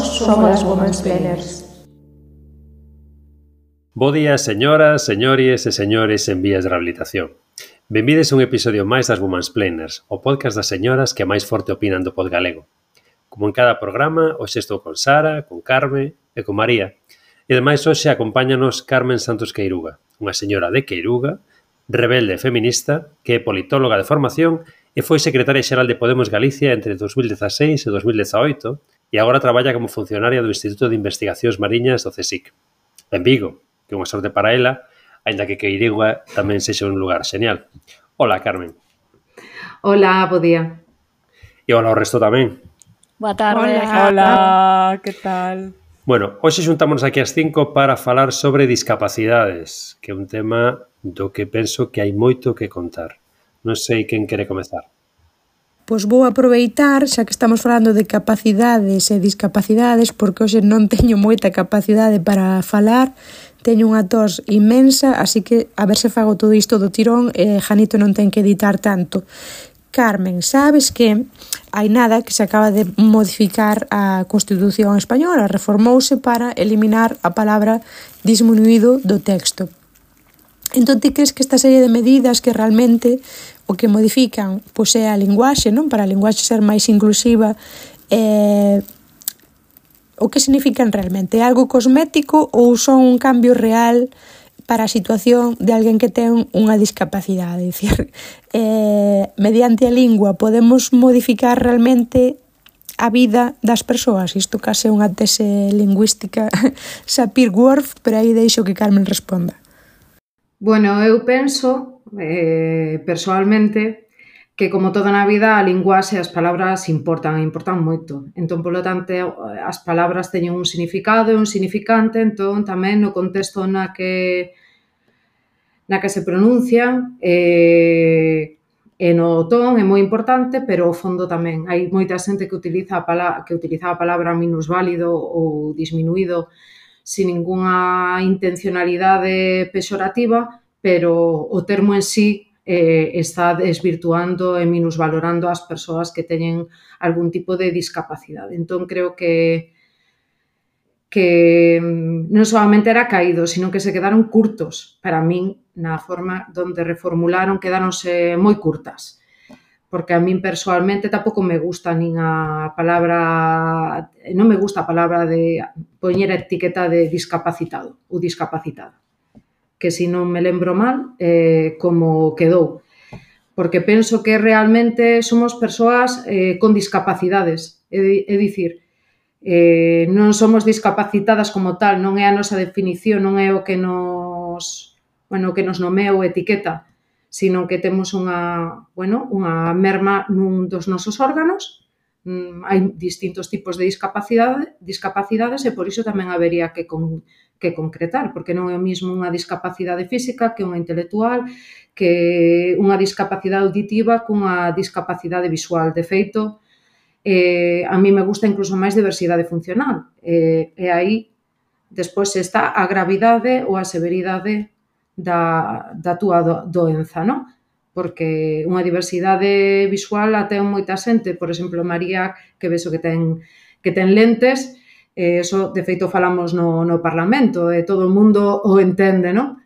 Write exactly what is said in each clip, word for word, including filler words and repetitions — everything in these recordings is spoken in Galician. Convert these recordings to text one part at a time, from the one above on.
somos as Womansplainers. Bo día, señoras, señores e señores en vías de rehabilitación. Benvides a un episodio máis das Womansplainers, o podcast das señoras que máis forte opinan do pod galego. Como en cada programa, hoxe estou con Sara, con Carme e con María. E ademais hoxe acompáñanos Carmen Santos Queiruga, unha señora de Queiruga, rebelde e feminista, que é politóloga de formación e foi secretaria xeral de Podemos Galicia entre dos mil dezaseis e dos mil dezaoito e agora traballa como funcionaria do Instituto de Investigacións Mariñas do CSIC. En Vigo, que é unha sorte para ela, aínda que Queiruga tamén sexa un lugar xenial. Hola, Carmen. Hola, bo día. E hola ao resto tamén. Boa tarde. Hola, hola, que tal? Bueno, hoxe xuntámonos aquí ás cinco para falar sobre discapacidades, que é un tema do que penso que hai moito que contar. Non sei quen quere comezar. Pois vou aproveitar, xa que estamos falando de capacidades e discapacidades, porque hoxe non teño moita capacidade para falar, teño unha tos inmensa, así que a ver se fago todo isto do tirón e Janito non ten que editar tanto. Carmen, sabes que hai nada que se acaba de modificar a Constitución española, reformouse para eliminar a palabra disminuído do texto. Entón, ti crees que esta serie de medidas que realmente o que modifican pois é a linguaxe, non? Para a linguaxe ser máis inclusiva, eh, o que significan realmente? É algo cosmético ou son un cambio real para a situación de alguén que ten unha discapacidade? É dicir, eh, mediante a lingua podemos modificar realmente a vida das persoas? Isto case é unha tese lingüística Sapir-Whorf, pero aí deixo que Carmen responda. Bueno, eu penso, eh, persoalmente, que como toda na vida a linguaxe e as palabras importan, importan moito. Entón, polo tanto, as palabras teñen un significado e un significante, entón tamén no contexto na que na que se pronuncian eh, e no ton é moi importante, pero o fondo tamén. Hai moita xente que utiliza a palabra, que utiliza a palabra minusválido ou disminuído sin ningunha intencionalidade pexorativa, pero o termo en sí eh, está desvirtuando e minusvalorando as persoas que teñen algún tipo de discapacidade. Entón, creo que que non solamente era caído, sino que se quedaron curtos. Para min, na forma donde reformularon, quedáronse moi curtas. Porque a min persoalmente tampouco me gusta nin a palabra, non me gusta a palabra de poñer a etiqueta de discapacitado ou discapacitada. Que se non me lembro mal, eh, como quedou. Porque penso que realmente somos persoas eh, con discapacidades. É, é dicir, eh, non somos discapacitadas como tal, non é a nosa definición, non é o que nos, bueno, o que nos nomea ou etiqueta, sino que temos unha, bueno, unha merma nun dos nosos órganos. Mm, hai distintos tipos de discapacidade, discapacidades e por iso tamén habería que, con, que concretar, porque non é o mismo unha discapacidade física que unha intelectual, que unha discapacidade auditiva cunha discapacidade visual. De feito, eh, a mí me gusta incluso máis diversidade funcional. Eh, e aí, despois está a gravidade ou a severidade da, da túa do, doenza, non? Porque unha diversidade visual a ten moita xente, por exemplo, María, que vexo que ten, que ten lentes, eh, eso, de feito, falamos no, no Parlamento, e todo o mundo o entende, non?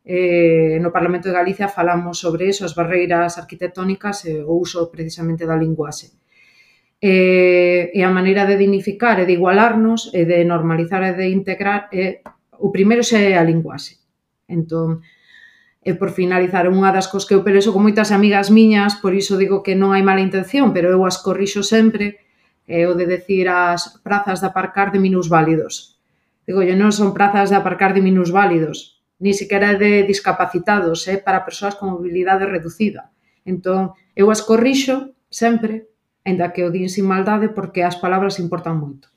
Eh, no Parlamento de Galicia falamos sobre eso, as barreiras arquitectónicas e o uso precisamente da linguaxe. E, e a maneira de dignificar e de igualarnos e de normalizar e de integrar é, o primeiro xa é a linguaxe. Entón, e por finalizar, unha das cosas que eu pelexo con moitas amigas miñas, por iso digo que non hai mala intención, pero eu as corrixo sempre, é o de decir as prazas de aparcar de minusválidos. Digo, non son prazas de aparcar de minusválidos, ni siquiera de discapacitados, é para persoas con mobilidade reducida. Entón, eu as corrixo sempre, ainda que o din sin maldade, porque as palabras importan moito.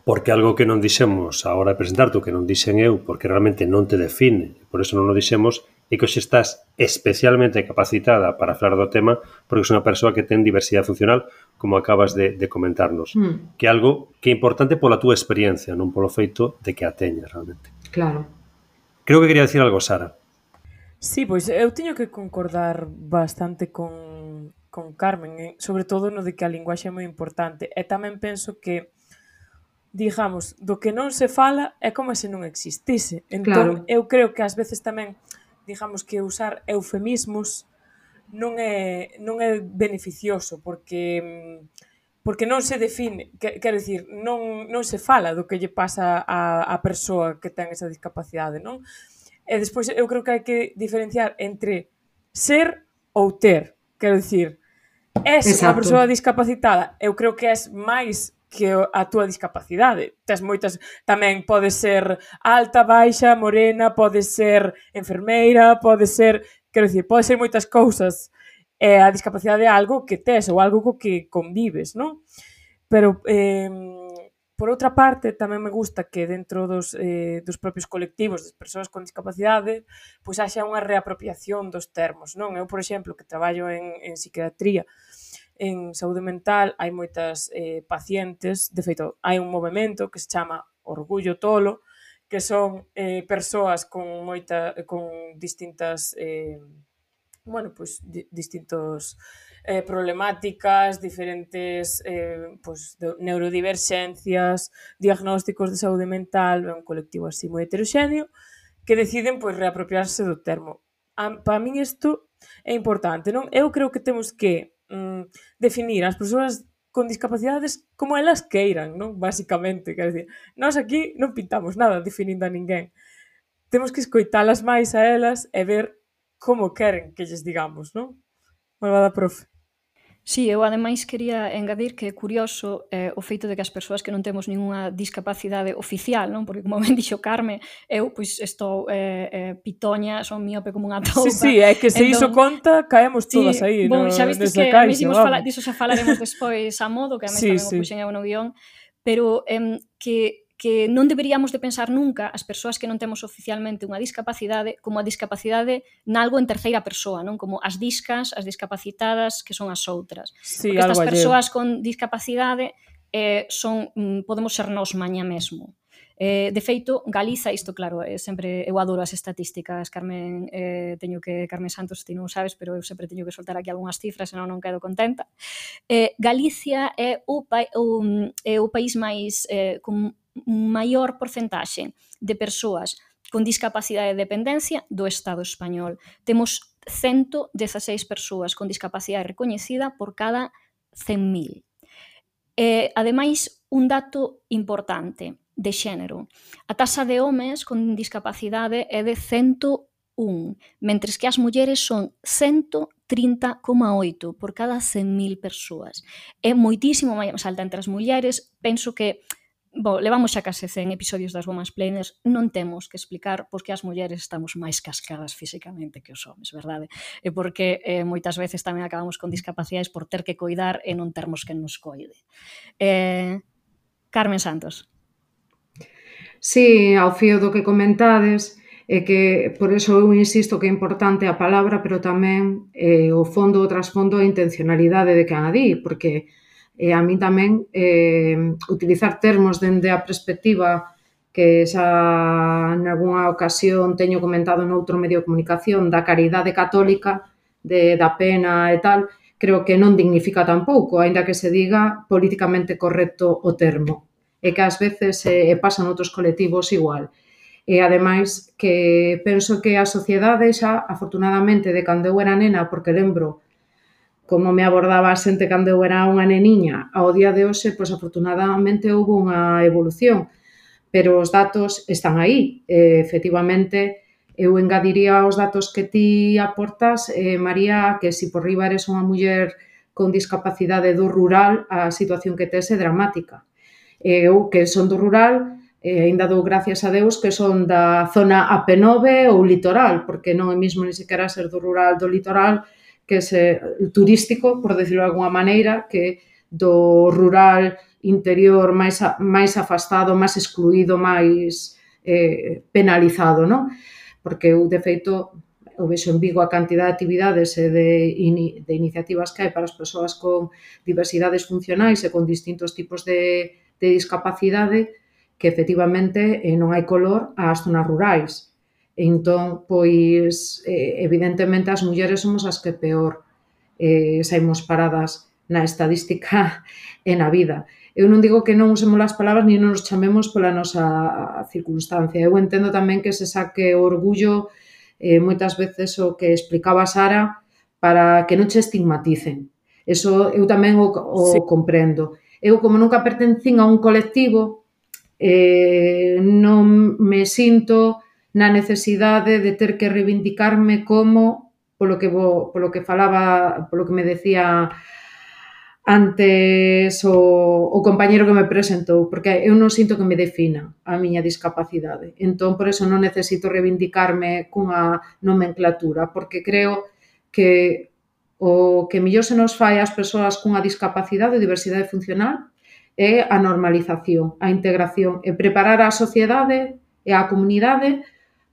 Porque algo que non dixemos a hora de presentarte, que non dixen eu, porque realmente non te define, por eso non o dixemos, é que hoxe estás especialmente capacitada para falar do tema, porque és unha persoa que ten diversidade funcional, como acabas de, de comentarnos. Mm. Que é algo que é importante pola túa experiencia, non polo feito de que a teñas realmente. Claro. Creo que quería dicir algo, Sara. Sí, pois eu teño que concordar bastante con, con Carmen, sobre todo no de que a linguaxe é moi importante. E tamén penso que digamos, do que non se fala é como se non existise. Entón, Claro. eu creo que ás veces tamén, digamos, que usar eufemismos non é, non é beneficioso, porque porque non se define, que, quero dicir, non, non se fala do que lle pasa a, a persoa que ten esa discapacidade, non? E despois eu creo que hai que diferenciar entre ser ou ter. Quero dicir, és unha Exacto. persoa discapacitada, eu creo que és máis que a túa discapacidade. Tes moitas, tamén pode ser alta, baixa, morena, pode ser enfermeira, pode ser, quero dicir, pode ser moitas cousas. E a discapacidade é algo que tes ou algo co que convives, non? Pero, eh, por outra parte, tamén me gusta que dentro dos, eh, dos propios colectivos das persoas con discapacidade pois haxa unha reapropiación dos termos, non? Eu, por exemplo, que traballo en, en psiquiatría, en saúde mental, hai moitas eh, pacientes, de feito, hai un movimento que se chama Orgullo Tolo, que son eh, persoas con moita, con distintas... Eh, bueno, pois di, distintos eh, problemáticas, diferentes eh, pois, de, neurodiverxencias, diagnósticos de saúde mental, é un colectivo así moi heteroxéneo, que deciden pois reapropiarse do termo. A, para min isto é importante, non? Eu creo que temos que mm, definir as persoas con discapacidades como elas queiran, non? Basicamente, quer dizer, nós aquí non pintamos nada definindo a ninguén. Temos que escoitalas máis a elas e ver como queren que lles digamos, non? Malvada profe. Sí, eu ademais quería engadir que é curioso eh, o feito de que as persoas que non temos ninguna discapacidade oficial, non? Porque como ben dixo Carme, eu pois estou eh, eh, pitoña, son miope como unha toupa. Sí, sí, é que se entón, iso conta, caemos todas sí, aí bon, no, xa vistes nesa que caixa, fala, diso xa falaremos despois a modo, que a mí sí, tamén sí. o puxen eu no guión, pero eh, que que non deberíamos de pensar nunca as persoas que non temos oficialmente unha discapacidade como a discapacidade nalgo en terceira persoa, non? Como as discas, as discapacitadas, que son as outras. Sí, porque estas alleo. persoas con discapacidade eh, son, podemos ser nós maña mesmo. Eh, de feito, Galiza, isto claro, eh, sempre eu adoro as estatísticas, Carmen, eh, teño que, Carmen Santos, ti non sabes, pero eu sempre teño que soltar aquí algunhas cifras, senón non quedo contenta. Eh, Galicia é o, pa, o, é o país máis eh, con maior porcentaxe de persoas con discapacidade de dependencia do Estado español. Temos ciento dieciséis persoas con discapacidade recoñecida por cada cen mil. Eh, ademais, un dato importante de xénero. A taxa de homes con discapacidade é de cento un, mentres que as mulleres son ciento trinta coma oito por cada cen mil persoas. É moitísimo máis alta entre as mulleres. Penso que Bo, levamos xa case cen episodios das Women's Planers, non temos que explicar pois que as mulleres estamos máis cascadas físicamente que os homes, verdade? E porque eh, moitas veces tamén acabamos con discapacidades por ter que coidar e non termos que nos coide. Eh, Carmen Santos. Sí, ao fío do que comentades, é que por eso eu insisto que é importante a palabra, pero tamén eh, o fondo, o trasfondo, a intencionalidade de quen a di, porque e a mí tamén eh, utilizar termos dende a perspectiva que xa en algunha ocasión teño comentado noutro medio de comunicación da caridade católica, de, da pena e tal, creo que non dignifica tampouco, aínda que se diga políticamente correcto o termo, e que ás veces eh, pasan outros colectivos igual. E ademais que penso que a sociedade xa, afortunadamente, de cando eu era nena, porque lembro como me abordaba a xente cando eu era unha neniña, ao día de hoxe, pois afortunadamente houve unha evolución, pero os datos están aí. E, efectivamente, eu engadiría aos datos que ti aportas, eh, María, que se por riba eres unha muller con discapacidade do rural, a situación que tes é dramática. Eu, que son do rural, e ainda dou gracias a Deus que son da zona A P nove ou litoral, porque non é mesmo ni sequera ser do rural do litoral, que é turístico, por decirlo de alguma maneira, que do rural interior máis, máis afastado, máis excluído, máis eh, penalizado, non? Porque eu, de feito, eu vexo en Vigo a cantidad de actividades e de, in, de iniciativas que hai para as persoas con diversidades funcionais e con distintos tipos de, de discapacidade que, efectivamente, eh, non hai color ás zonas rurais. Entón, pois, evidentemente, as mulleres somos as que peor eh, saímos paradas na estadística e na vida. Eu non digo que non usemos as palabras ni non nos chamemos pola nosa circunstancia. Eu entendo tamén que se saque o orgullo, eh, moitas veces o que explicaba Sara, para que non che estigmaticen. Eso eu tamén o, o sí. comprendo. Eu, como nunca pertencín a un colectivo, eh, non me sinto na necesidade de ter que reivindicarme como, polo que, vo, polo que falaba, polo que me decía antes o, o compañeiro que me presentou, porque eu non sinto que me defina a miña discapacidade. Entón, por eso non necesito reivindicarme cunha nomenclatura, porque creo que o que mellor se nos fai ás persoas cunha discapacidade ou diversidade funcional é a normalización, a integración, e preparar a sociedade e a comunidade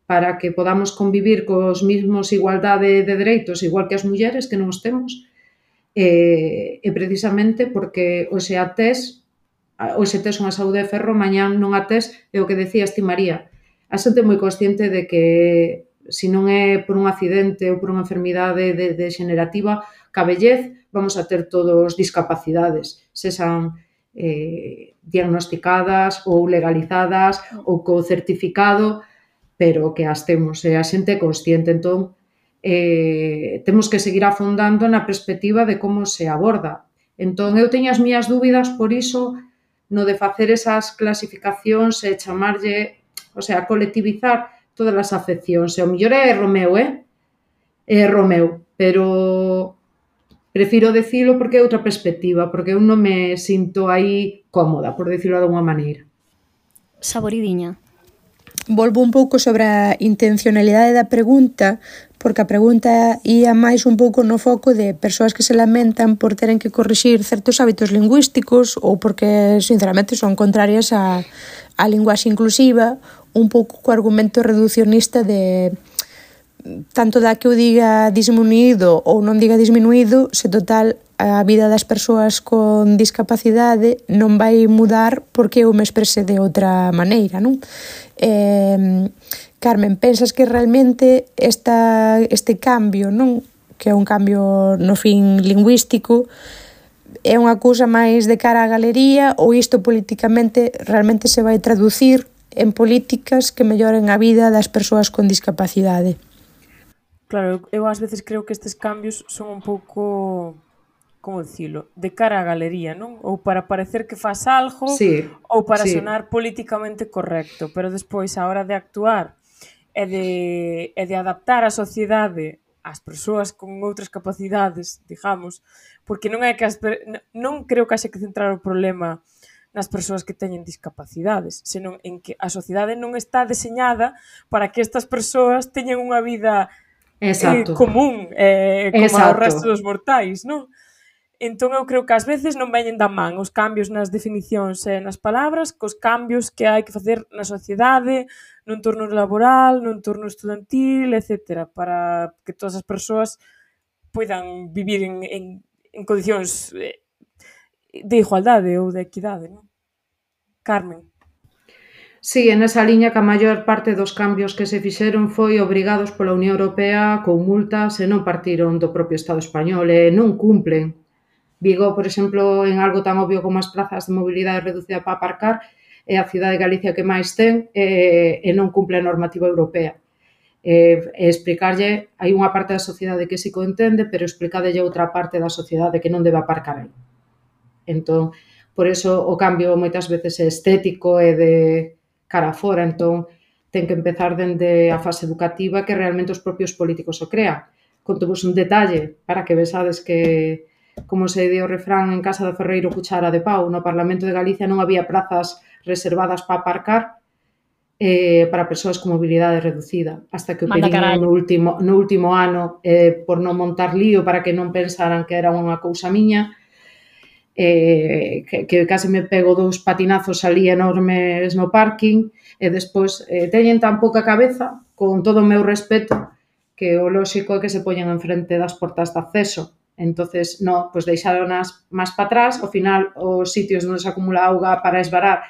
para que podamos convivir cos mismos igualdade de dereitos, igual que as mulleres, que non os temos, e, e precisamente porque hoxe a tes, hoxe tes unha saúde de ferro, mañán non a tes, é o que decías ti, María. A xente é moi consciente de que se non é por un accidente ou por unha enfermidade de, de xenerativa, ca vellez vamos a ter todos discapacidades, sexan eh, diagnosticadas ou legalizadas ou co certificado, pero que as temos, e a xente é consciente. Entón, eh, temos que seguir afondando na perspectiva de como se aborda. Entón, eu teño as miñas dúbidas, por iso, no de facer esas clasificacións e chamarlle, o sea, colectivizar todas as afeccións. E o mellor é erro meu, eh? É erro meu, pero prefiro decilo porque é outra perspectiva, porque eu non me sinto aí cómoda, por decirlo de alguma maneira. Saboridiña. Volvo un pouco sobre a intencionalidade da pregunta, porque a pregunta ia máis un pouco no foco de persoas que se lamentan por teren que corrixir certos hábitos lingüísticos ou porque, sinceramente, son contrarias a, a linguaxe inclusiva, un pouco co argumento reducionista de tanto da que eu diga disminuído ou non diga disminuído, se total a vida das persoas con discapacidade non vai mudar porque eu me exprese de outra maneira, non? Eh, Carmen, pensas que realmente esta, este cambio, non? Que é un cambio no fin lingüístico, é unha cousa máis de cara á galería ou isto políticamente realmente se vai traducir en políticas que melloren a vida das persoas con discapacidade? Claro, eu ás veces creo que estes cambios son un pouco, como dicilo, de cara á galería, non? Ou para parecer que faz algo, sí, ou para sí. sonar políticamente correcto, pero despois, a hora de actuar e de, e de adaptar a sociedade ás persoas con outras capacidades, digamos, porque non é que as, non creo que haxe que centrar o problema nas persoas que teñen discapacidades, senón en que a sociedade non está deseñada para que estas persoas teñan unha vida eh, común, eh, como Exacto. ao resto dos mortais, non? Entón eu creo que ás veces non veñen da man os cambios nas definicións e nas palabras cos cambios que hai que facer na sociedade, no entorno laboral, no entorno estudantil, etcétera, para que todas as persoas poidan vivir en, en, en condicións de igualdade ou de equidade, non? Carmen. Sí, en esa liña que a maior parte dos cambios que se fixeron foi obrigados pola Unión Europea con multas e non partiron do propio Estado español e non cumplen. Vigo, por exemplo, en algo tan obvio como as plazas de mobilidade reducida para aparcar, é a cidade de Galicia que máis ten e, e non cumple a normativa europea. E, e explicarlle, hai unha parte da sociedade que si que o entende, pero explicarlle outra parte da sociedade que non debe aparcar aí. Entón, por eso o cambio moitas veces é estético e de cara fora, entón ten que empezar dende a fase educativa que realmente os propios políticos o crean. Contovos un detalle para que vesades que, como se di o refrán en casa do ferreiro cuchara de pau, no Parlamento de Galicia non había plazas reservadas para aparcar eh, para persoas con mobilidade reducida, hasta que o pedín no último, no último ano eh, por non montar lío para que non pensaran que era unha cousa miña, eh, que, que case me pego dous patinazos ali enormes no parking e despois eh, teñen tan pouca cabeza, con todo o meu respeto, que o lóxico é que se poñen enfrente das portas de acceso. Entonces, no, pois deixaronas máis para atrás, ao final os sitios onde se acumula auga para esvarar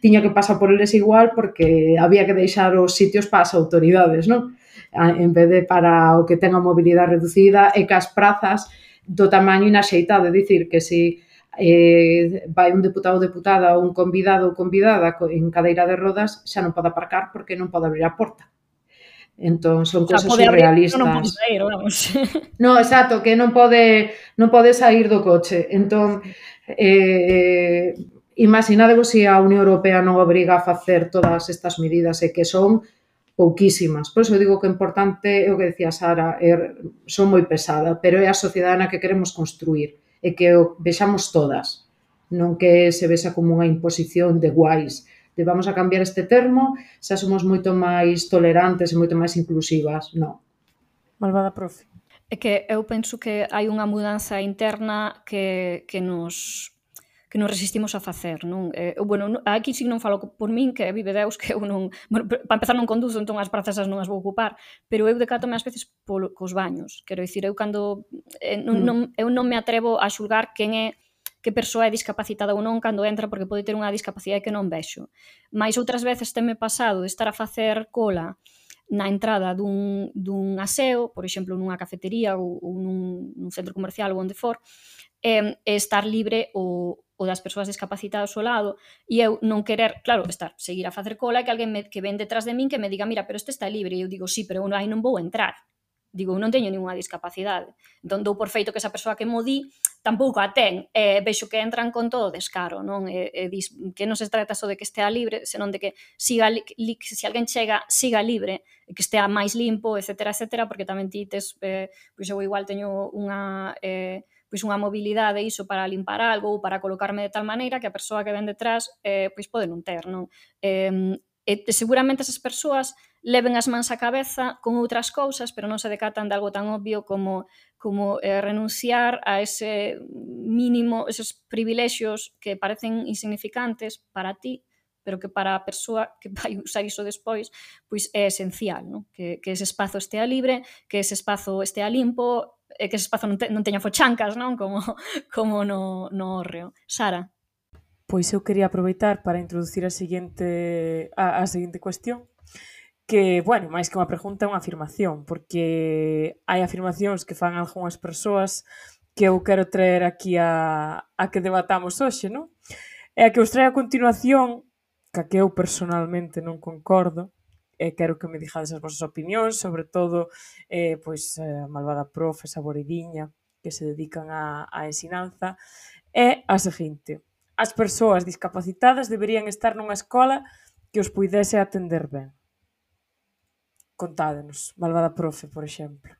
tiña que pasar por eles igual porque había que deixar os sitios para as autoridades, non? En vez de para o que ten a mobilidade reducida e que as prazas do tamaño inaxeitado, é dicir, que se eh, vai un deputado ou deputada ou un convidado ou convidada en cadeira de rodas, xa non pode aparcar porque non pode abrir a porta. Entón, son O sea, cousas pode abrir, surrealistas. pero non pode sair, vamos. No, exacto, que non pode non pode sair do coche. Entón, eh, imaginadevos se a Unión Europea non obriga a facer todas estas medidas e que son pouquísimas. Por iso digo que o importante é o que decía Sara, é, son moi pesada, pero é a sociedade na que queremos construir e que o vexamos todas, non que se vexa como unha imposición de guais, de vamos a cambiar este termo, xa somos moito máis tolerantes e moito máis inclusivas, non. Malvada profe. É que eu penso que hai unha mudanza interna que, que nos que nos resistimos a facer, non? Eh, bueno, aquí sí non falo por min, que vive Deus, que eu non... Bueno, para empezar non conduzo, entón as prazas non as vou ocupar, pero eu decátome ás veces polo, cos baños. Quero dicir, eu cando... Eh, non, non, eu non me atrevo a xulgar quen é que persoa é discapacitada ou non cando entra porque pode ter unha discapacidade que non vexo. Mais outras veces teme pasado de estar a facer cola na entrada dun, dun aseo, por exemplo, nunha cafetería ou, ou nun, nun centro comercial ou onde for, e, e estar libre o, o das persoas discapacitadas ao lado e eu non querer, claro, estar, seguir a facer cola e que alguén me, que ven detrás de min que me diga, mira, pero este está libre, e eu digo, sí, pero eu aí non vou entrar. Digo, non teño ninguna discapacidade. Entón, dou por feito que esa persoa que mo di tampouco a ten. E vexo que entran con todo descaro, non? E, e dis, que non se trata só de que estea libre, senón de que siga li, li, se alguén chega, siga libre, e que estea máis limpo, etcétera, etcétera, porque tamén ti tes, eh, pois eu igual teño unha... Eh, pois unha mobilidade iso para limpar algo ou para colocarme de tal maneira que a persoa que ven detrás eh, pois pode non ter, non? Eh, e seguramente esas persoas leven as mans á cabeza con outras cousas, pero non se decatan de algo tan obvio como, como eh, renunciar a ese mínimo, esos privilexios que parecen insignificantes para ti, pero que para a persoa que vai usar iso despois, pois é esencial, non? Que, que ese espazo estea libre, que ese espazo estea limpo, e que ese espazo non, te, non teña fochancas, non? Como, como no, no hórreo. Sara? Pois eu quería aproveitar para introducir a seguinte, a, a seguinte cuestión, que, bueno, máis que unha pregunta é unha afirmación, porque hai afirmacións que fan algunhas persoas que eu quero traer aquí a, a que debatamos hoxe, non? E a que os trae a continuación, que a que eu personalmente non concordo, e quero que me digades as vosas opinións, sobre todo eh, pois, a malvada profe, esa boridiña, que se dedican a, a ensinanza, é a seguinte: as persoas discapacitadas deberían estar nunha escola que os puidese atender ben. Contádenos, malvada profe, por exemplo.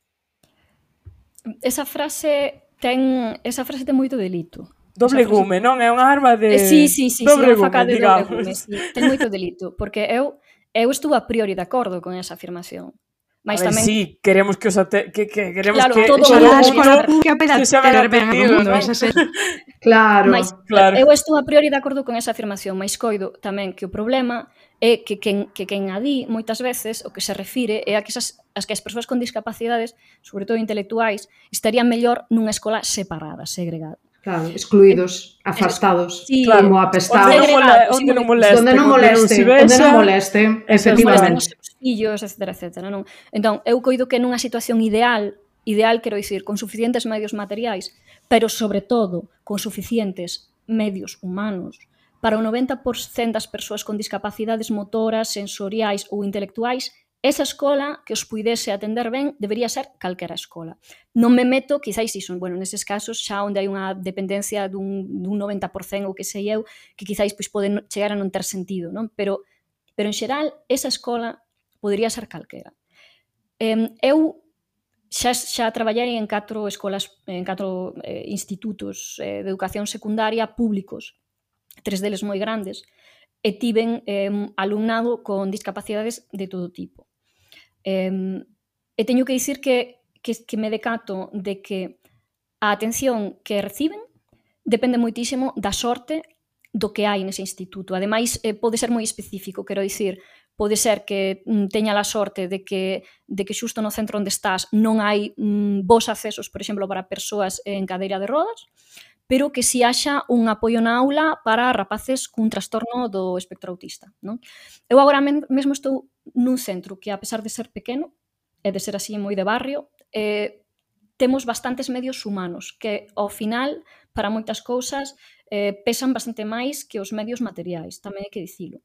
Esa frase ten, esa frase ten moito delito. Doble gume, non? É unha arma de... Eh, sí, sí, sí, doble sí, unha faca gume, de digamos. doble gume, sí. Ten moito delito, porque eu eu estuve a priori de acordo con esa afirmación. A Mas ver, tamén... sí, queremos que os ate... que, que queremos Claro, que todo todo mundo o a escola mundo pública para se xa ben ter ben a todo atendido, mundo, non? esa é. Claro, Mas claro. eu estou a priori de acordo con esa afirmación, mas coido tamén que o problema é que quen, que quen a di moitas veces o que se refire é a que esas, as que as persoas con discapacidades, sobre todo intelectuais, estarían mellor nunha escola separada, segregada. claro, excluídos, afastados, Sí, Claro, como onde apestados. non, mole, onde non molesten, Onde non molesten, se onde vexa, non molesten, esas Molesten efectivamente. os seus fillos, etcétera, etcétera, non? Entón, eu coido que nunha situación ideal, ideal quero dicir, con suficientes medios materiais, pero sobre todo con suficientes medios humanos, para o noventa por cento das persoas con discapacidades motoras, sensoriais ou intelectuais, esa escola que os puidese atender ben debería ser calquera escola. Non me meto, quizáis iso, bueno, neses casos xa onde hai unha dependencia dun, dun noventa por cento ou que sei eu, que quizáis pois, poden chegar a non ter sentido, non? Pero, pero en xeral, esa escola podería ser calquera. Eh, eu xa, xa traballei en catro escolas, en catro eh, institutos eh, de educación secundaria públicos, tres deles moi grandes, e tiven eh, alumnado con discapacidades de todo tipo. Eh, e teño que dicir que, que, que me decato de que a atención que reciben depende moitísimo da sorte do que hai nese instituto. Ademais, eh, pode ser moi específico, quero dicir, pode ser que mm, teña a sorte de que, de que xusto no centro onde estás non hai mm, bons accesos, por exemplo, para persoas en cadeira de rodas, pero que si haxa un apoio na aula para rapaces cun trastorno do espectro autista, non? Eu agora mesmo estou nun centro que, a pesar de ser pequeno, e de ser así moi de barrio, eh, temos bastantes medios humanos que, ao final, para moitas cousas, eh, pesan bastante máis que os medios materiais, tamén hai que dicilo.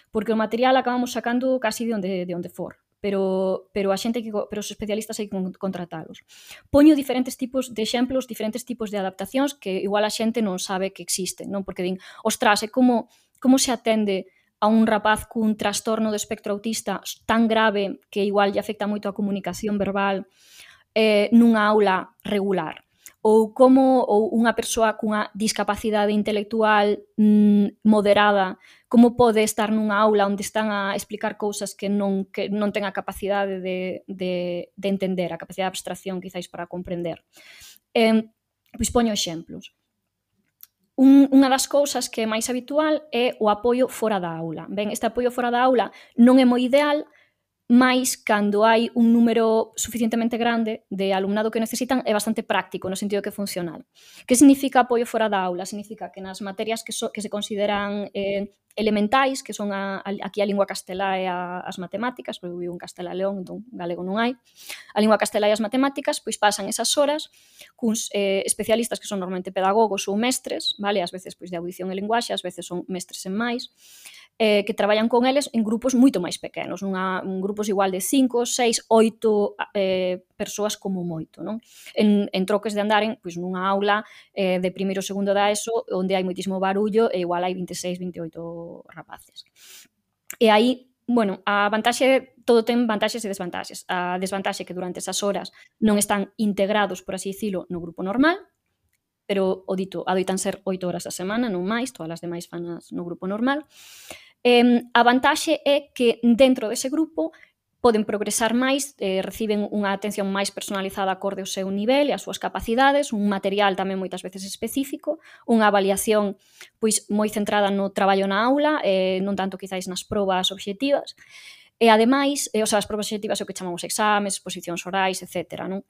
Porque o material acabamos sacando casi de onde, de onde for, pero, pero a xente que, pero os especialistas hai que contratalos. Poño diferentes tipos de exemplos, diferentes tipos de adaptacións que igual a xente non sabe que existen, non? Porque din, ostras, é como, como se atende a un rapaz cun trastorno do espectro autista tan grave que igual lle afecta moito a comunicación verbal eh, nunha aula regular. Ou como ou unha persoa cunha discapacidade intelectual mm, moderada, como pode estar nunha aula onde están a explicar cousas que non, que non ten a capacidade de, de, de entender, a capacidade de abstracción quizáis para comprender. Eh, pois poño exemplos. Un, unha das cousas que é máis habitual é o apoio fora da aula. Ben, este apoio fora da aula non é moi ideal, mais cando hai un número suficientemente grande de alumnado que necesitan é bastante práctico no sentido que é funcional. Que significa apoio fora da aula? Significa que nas materias que, so, que se consideran eh, elementais, que son a, a, aquí a lingua castelá e a, as matemáticas, porque eu vivo en Castela e León, entón galego non hai, a lingua castelá e as matemáticas, pois pasan esas horas cuns eh, especialistas que son normalmente pedagogos ou mestres, vale? Ás veces pois de audición e linguaxe, ás veces son mestres en máis, eh, que traballan con eles en grupos moito máis pequenos, nunha, un grupos igual de cinco, seis, oito eh, persoas como moito, non? En, en troques de andaren, pois nunha aula eh, de primeiro ou segundo da ESO, onde hai moitísimo barullo e igual hai veintiséis, veintioito rapaces. E aí, bueno, a vantaxe, todo ten vantaxes e desvantaxes. A desvantaxe é que durante esas horas non están integrados, por así dicilo, no grupo normal, pero o dito, adoitan ser oito horas a semana, non máis, todas as demais fanas no grupo normal. Eh, a vantaxe é que dentro dese grupo poden progresar máis, eh, reciben unha atención máis personalizada acorde ao seu nivel e ás súas capacidades, un material tamén moitas veces específico, unha avaliación pois moi centrada no traballo na aula, eh, non tanto quizáis nas probas obxectivas, e ademais, eh, o sea, as probas obxectivas é o que chamamos exames, exposicións orais, etcétera, non?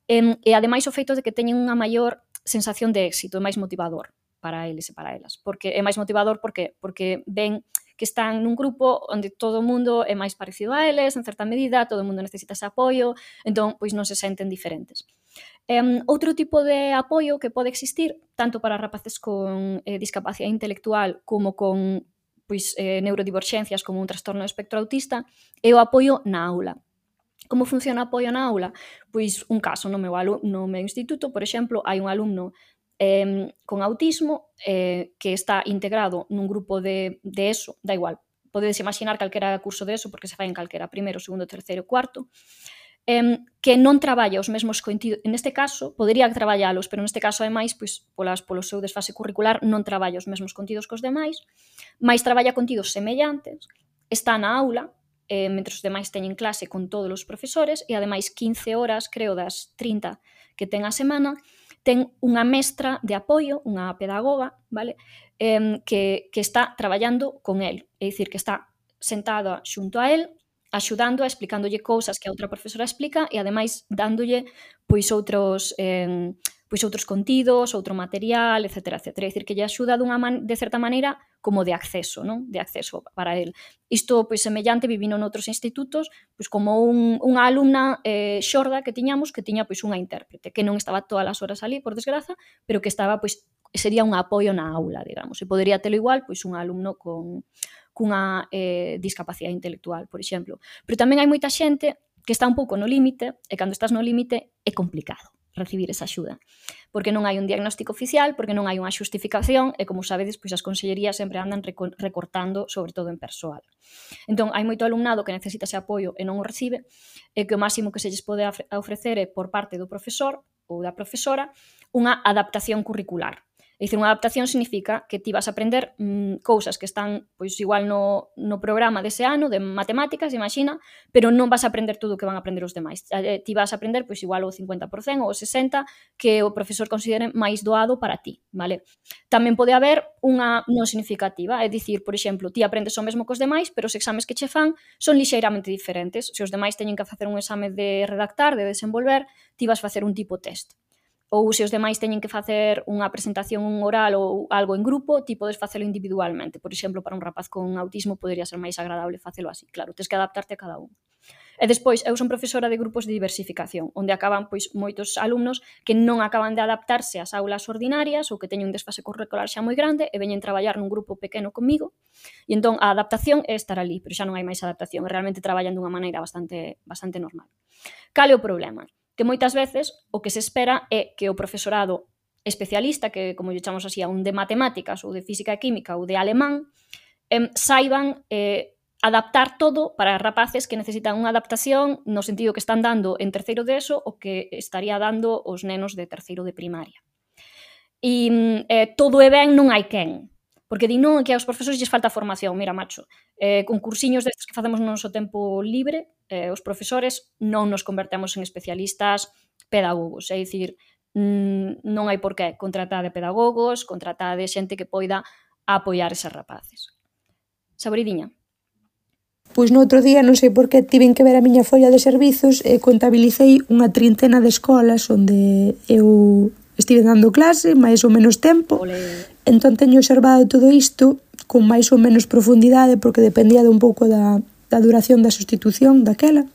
E, e ademais o feito de que teñen unha maior sensación de éxito, é máis motivador para eles e para elas, porque é máis motivador porque porque ven que están nun grupo onde todo o mundo é máis parecido a eles, en certa medida, todo o mundo necesita ese apoio, entón, pois non se senten diferentes. Um, outro tipo de apoio que pode existir, tanto para rapaces con eh, discapacidade intelectual como con pois, eh, neurodiverxencias como un trastorno do espectro autista, é o apoio na aula. Como funciona o apoio na aula? Pois un caso no meu, alu- no meu instituto, por exemplo, hai un alumno Eh, con autismo eh, que está integrado nun grupo de, de ESO, da igual, podedes imaginar calquera curso de ESO porque se fai en calquera primeiro, segundo, terceiro, cuarto, eh, que non traballa os mesmos contidos, neste caso, podería traballalos, pero neste caso, ademais, pois, polas, polo seu desfase curricular, non traballa os mesmos contidos cos demais, mais traballa contidos semellantes, está na aula, eh, mentre os demais teñen clase con todos os profesores, e ademais quince horas, creo, das trinta que ten a semana, ten unha mestra de apoio, unha pedagoga, vale? Eh, que, que está traballando con el, é dicir, que está sentada xunto a el, axudando, explicándolle cousas que a outra profesora explica e ademais dándolle pois outros eh, pois outros contidos, outro material, etcétera, etcétera. É dicir, que lle axuda dunha man, de certa maneira como de acceso, non? De acceso para el. Isto, pois, semellante, vivino noutros institutos, pois, como un, unha alumna eh, xorda que tiñamos, que tiña, pois, unha intérprete, que non estaba todas as horas ali, por desgraza, pero que estaba, pois, sería un apoio na aula, digamos. E podería telo igual, pois, un alumno con cunha eh, discapacidade intelectual, por exemplo. Pero tamén hai moita xente que está un pouco no límite, e cando estás no límite é complicado recibir esa axuda, porque non hai un diagnóstico oficial, porque non hai unha xustificación, e como sabedes, pois as consellerías sempre andan recortando, sobre todo en persoal. Entón, hai moito alumnado que necesita ese apoio e non o recibe, e que o máximo que se lles pode ofrecer é por parte do profesor ou da profesora unha adaptación curricular. É dicir, unha adaptación significa que ti vas a aprender mmm, cousas que están pois igual no, no programa dese ano de matemáticas, imagina, pero non vas a aprender todo o que van a aprender os demais. Eh, ti vas a aprender pois igual o cincuenta por cento ou o sesenta por cento que o profesor considere máis doado para ti, vale? Tamén pode haber unha non significativa, é dicir, por exemplo, ti aprendes o mesmo que os demais, pero os exames que che fan son lixeiramente diferentes. Se os demais teñen que facer un exame de redactar, de desenvolver, ti vas facer un tipo test. Ou se os demais teñen que facer unha presentación oral ou algo en grupo, ti podes facelo individualmente. Por exemplo, para un rapaz con autismo podería ser máis agradable facelo así. Claro, tens que adaptarte a cada un. E despois, eu son profesora de grupos de diversificación, onde acaban pois moitos alumnos que non acaban de adaptarse ás aulas ordinarias ou que teñen un desfase curricular xa moi grande e veñen traballar nun grupo pequeno comigo, e entón a adaptación é estar ali, pero xa non hai máis adaptación, realmente traballan dunha maneira bastante, bastante normal. Cal é o problema? Que moitas veces o que se espera é que o profesorado especialista, que como lle chamamos así, a un de matemáticas ou de física e química ou de alemán, eh, saiban eh, adaptar todo para rapaces que necesitan unha adaptación no sentido que están dando en terceiro de eso o que estaría dando os nenos de terceiro de primaria. E eh, todo é ben, non hai quen. Porque di non, que aos profesores lles falta formación. Mira, macho, eh, con cursiños destes que facemos no noso tempo libre, eh, os profesores non nos convertemos en especialistas pedagogos. É dicir, mm, non hai por qué contratar de pedagogos, contratar de xente que poida apoiar eses rapaces. Saboridiña? Pois no outro día, non sei por que, tiven que ver a miña folla de servizos e contabilicei unha trintena de escolas onde eu estive dando clase, máis ou menos tempo. Olé. Entón teño observado todo isto con máis ou menos profundidade porque dependía de un pouco da, da duración da sustitución daquela.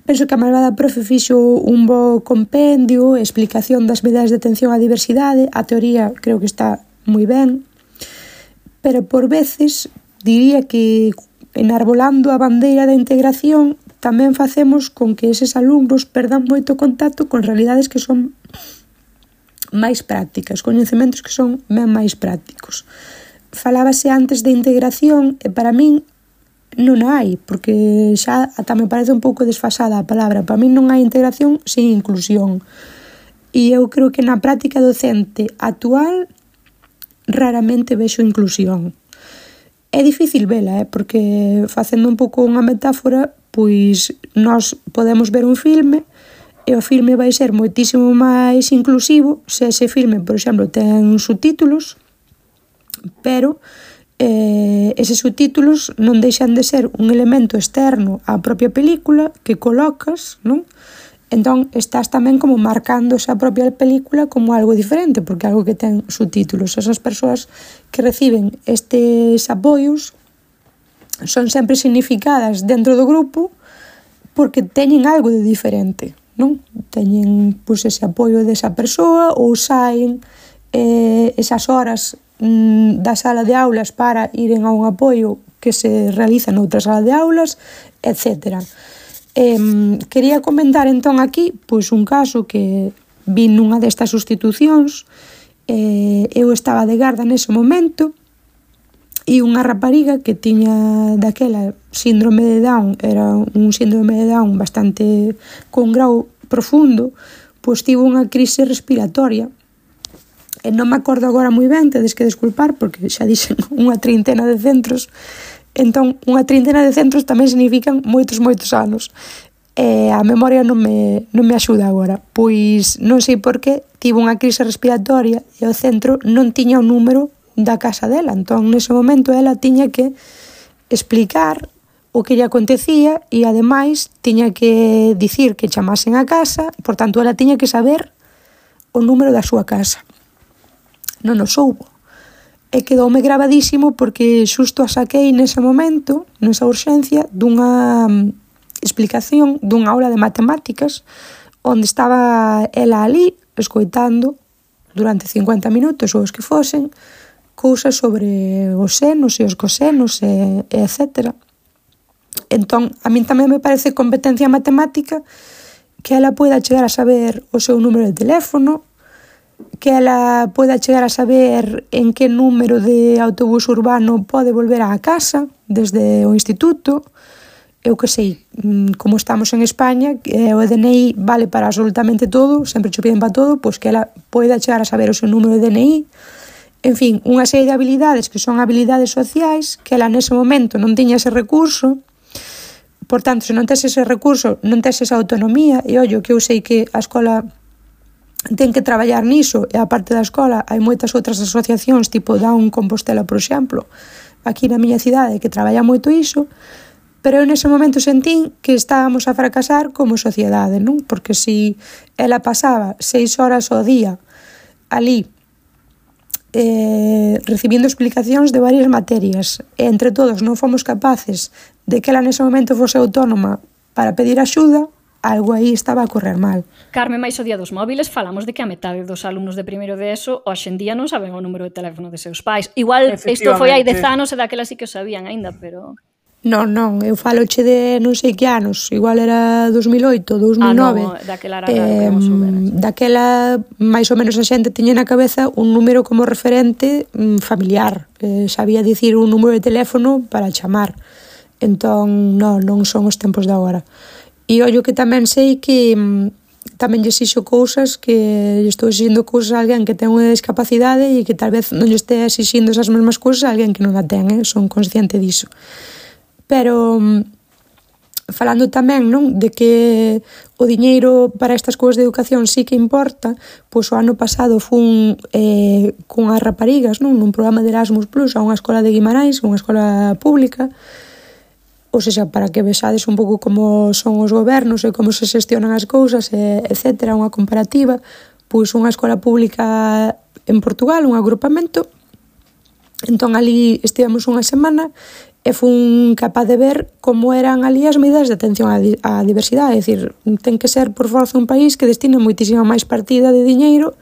Penso que a malvada profe fixo un bo compendio, explicación das medidas de atención á diversidade, a teoría creo que está moi ben, pero por veces diría que enarbolando a bandeira da integración tamén facemos con que eses alumnos perdan moito contacto con realidades que son máis prácticas, coñecementos que son ben máis prácticos. Falábase antes de integración e para min non hai, porque xa ata me parece un pouco desfasada a palabra. Para min non hai integración sen inclusión. E eu creo que na práctica docente actual raramente vexo inclusión. É difícil vela, eh? Porque facendo un pouco unha metáfora, pois nós podemos ver un filme e o filme vai ser moitísimo máis inclusivo se ese filme, por exemplo, ten subtítulos, pero eh, eses subtítulos non deixan de ser un elemento externo á propia película que colocas, non? Entón, estás tamén como marcando esa propia película como algo diferente, porque algo que ten subtítulos. Esas persoas que reciben estes apoios son sempre significadas dentro do grupo porque teñen algo de diferente, non? Teñen pois, ese apoio desa persoa ou saen eh, esas horas mm, da sala de aulas para iren a un apoio que se realiza noutra sala de aulas, etcétera. Eh, quería comentar entón aquí pois un caso que vi nunha destas sustitucións. Eh, eu estaba de garda nese momento e unha rapariga que tiña daquela síndrome de Down, era un síndrome de Down bastante con grau profundo, pois tivo unha crise respiratoria e non me acordo agora moi ben, tedes que desculpar porque xa dixen unha trintena de centros. Entón, unha trintena de centros tamén significan moitos, moitos anos. E a memoria non me, non me axuda agora. Pois non sei por que tivo unha crise respiratoria e o centro non tiña o número da casa dela. Entón, nese momento, ela tiña que explicar o que lle acontecía e, ademais, tiña que dicir que chamasen a casa. Por tanto, ela tiña que saber o número da súa casa. Non o soubo. E quedoume gravadísimo porque xusto a saquei nese momento, nesa urxencia, dunha explicación dunha aula de matemáticas onde estaba ela ali escoitando durante cincuenta minutos ou os que fosen cousas sobre os senos e os cosenos e, e etcétera. Entón, a min tamén me parece competencia matemática que ela poida chegar a saber o seu número de teléfono, que ela poida chegar a saber en que número de autobús urbano pode volver á casa desde o instituto. Eu que sei, como estamos en España, o D N I vale para absolutamente todo, sempre che piden para todo, pois que ela poida chegar a saber o seu número de D N I. En fin, unha serie de habilidades que son habilidades sociais, que ela nese momento non tiña ese recurso. Por tanto, se non tes ese recurso, non tes esa autonomía, e ollo, que eu sei que a escola ten que traballar niso, e a parte da escola hai moitas outras asociacións tipo Down Compostela, por exemplo, aquí na miña cidade, que traballa moito iso, pero eu nese momento sentín que estábamos a fracasar como sociedade, non? Porque se ela pasaba seis horas ao día ali eh, recibindo explicacións de varias materias e entre todos non fomos capaces de que ela nese momento fose autónoma para pedir axuda, algo aí estaba a correr mal. Carme, máis o día dos móviles falamos de que a metade dos alumnos de primeiro de ESO hoxe en día non saben o número de teléfono de seus pais. Igual isto foi hai dez anos e daquela sí que o sabían aínda, pero... Non, non, eu faloche de non sei que anos, igual era dos mil oito, dos mil nove. Ah, non, daquela era eh, raro, daquela, máis ou menos a xente tiña na cabeza un número como referente mm, familiar. Eh, sabía dicir un número de teléfono para chamar. Entón, non, non son os tempos de agora. E ollo que tamén sei que mm, tamén lle xixo cousas que lle estou exixindo cousas a alguén que ten unha discapacidade e que tal vez non lle este exixindo esas mesmas cousas a alguén que non a ten, eh? Son consciente diso. Pero falando tamén, non, de que o diñeiro para estas cousas de educación sí que importa, pois o ano pasado fun eh, cunhas raparigas, non, nun programa de Erasmus Plus a unha escola de Guimarães, unha escola pública, ou seja, para que vexades un pouco como son os gobernos e como se xestionan as cousas, e, etcétera, unha comparativa, pois unha escola pública en Portugal, un agrupamento. Entón ali estivemos unha semana e fun capaz de ver como eran ali as medidas de atención á, á diversidade. É dicir, ten que ser por forza un país que destina moitísima máis partida de diñeiro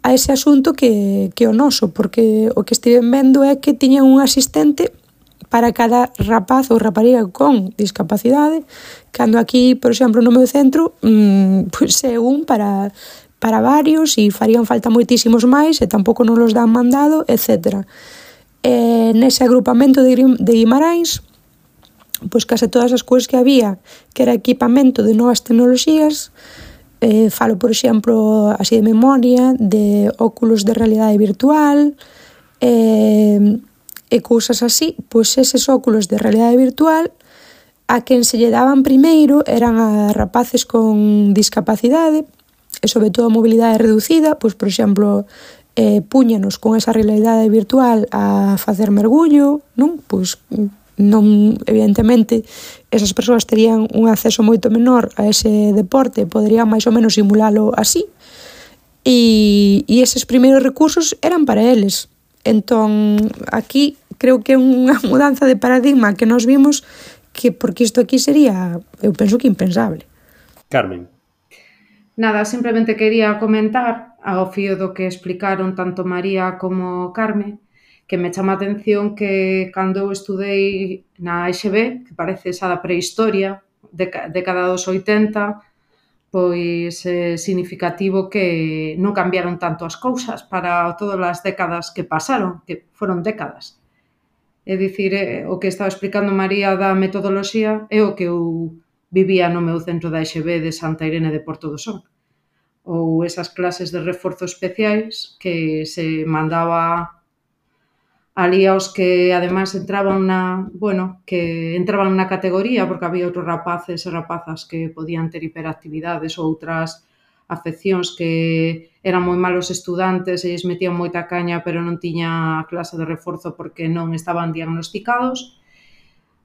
a ese asunto que, que o noso, porque o que estiven vendo é que tiñan un asistente para cada rapaz ou rapariga con discapacidade, cando aquí, por exemplo, no meu centro, mmm, pois é un para, para varios e farían falta moitísimos máis e tampouco non los dan mandado, etcétera. E nese agrupamento de Guimarães, pois case todas as cousas que había, que era equipamento de novas tecnoloxías, eh, falo, por exemplo, así de memoria, de óculos de realidade virtual, eh, e cousas así, pois eses óculos de realidade virtual, a quen se lle daban primeiro eran a rapaces con discapacidade, e sobre todo a mobilidade reducida, pois, por exemplo, eh, puñanos con esa realidade virtual a facer mergullo, non? Pois non, evidentemente, esas persoas terían un acceso moito menor a ese deporte, poderían máis ou menos simulalo así, e, e eses primeiros recursos eran para eles. Entón, aquí creo que é unha mudanza de paradigma que nos vimos que, porque isto aquí sería, eu penso que impensable. Carmen. Nada, simplemente quería comentar ao fío do que explicaron tanto María como Carme, que me chama a atención que cando eu estudei na E X B, que parece esa da prehistoria, década dos oitenta, pois é significativo que non cambiaron tanto as cousas para todas as décadas que pasaron, que foron décadas. É dicir, o que estaba explicando María da metodoloxía é o que eu vivía no meu centro da E X B de Santa Irene de Porto do Son. Ou esas clases de reforzo especiais que se mandaba ali aos que ademais entraban na, bueno, que entraban na categoría porque había outros rapaces e rapazas que podían ter hiperactividades ou outras afeccións que eran moi malos estudantes e lles metían moita caña pero non tiña clase de reforzo porque non estaban diagnosticados.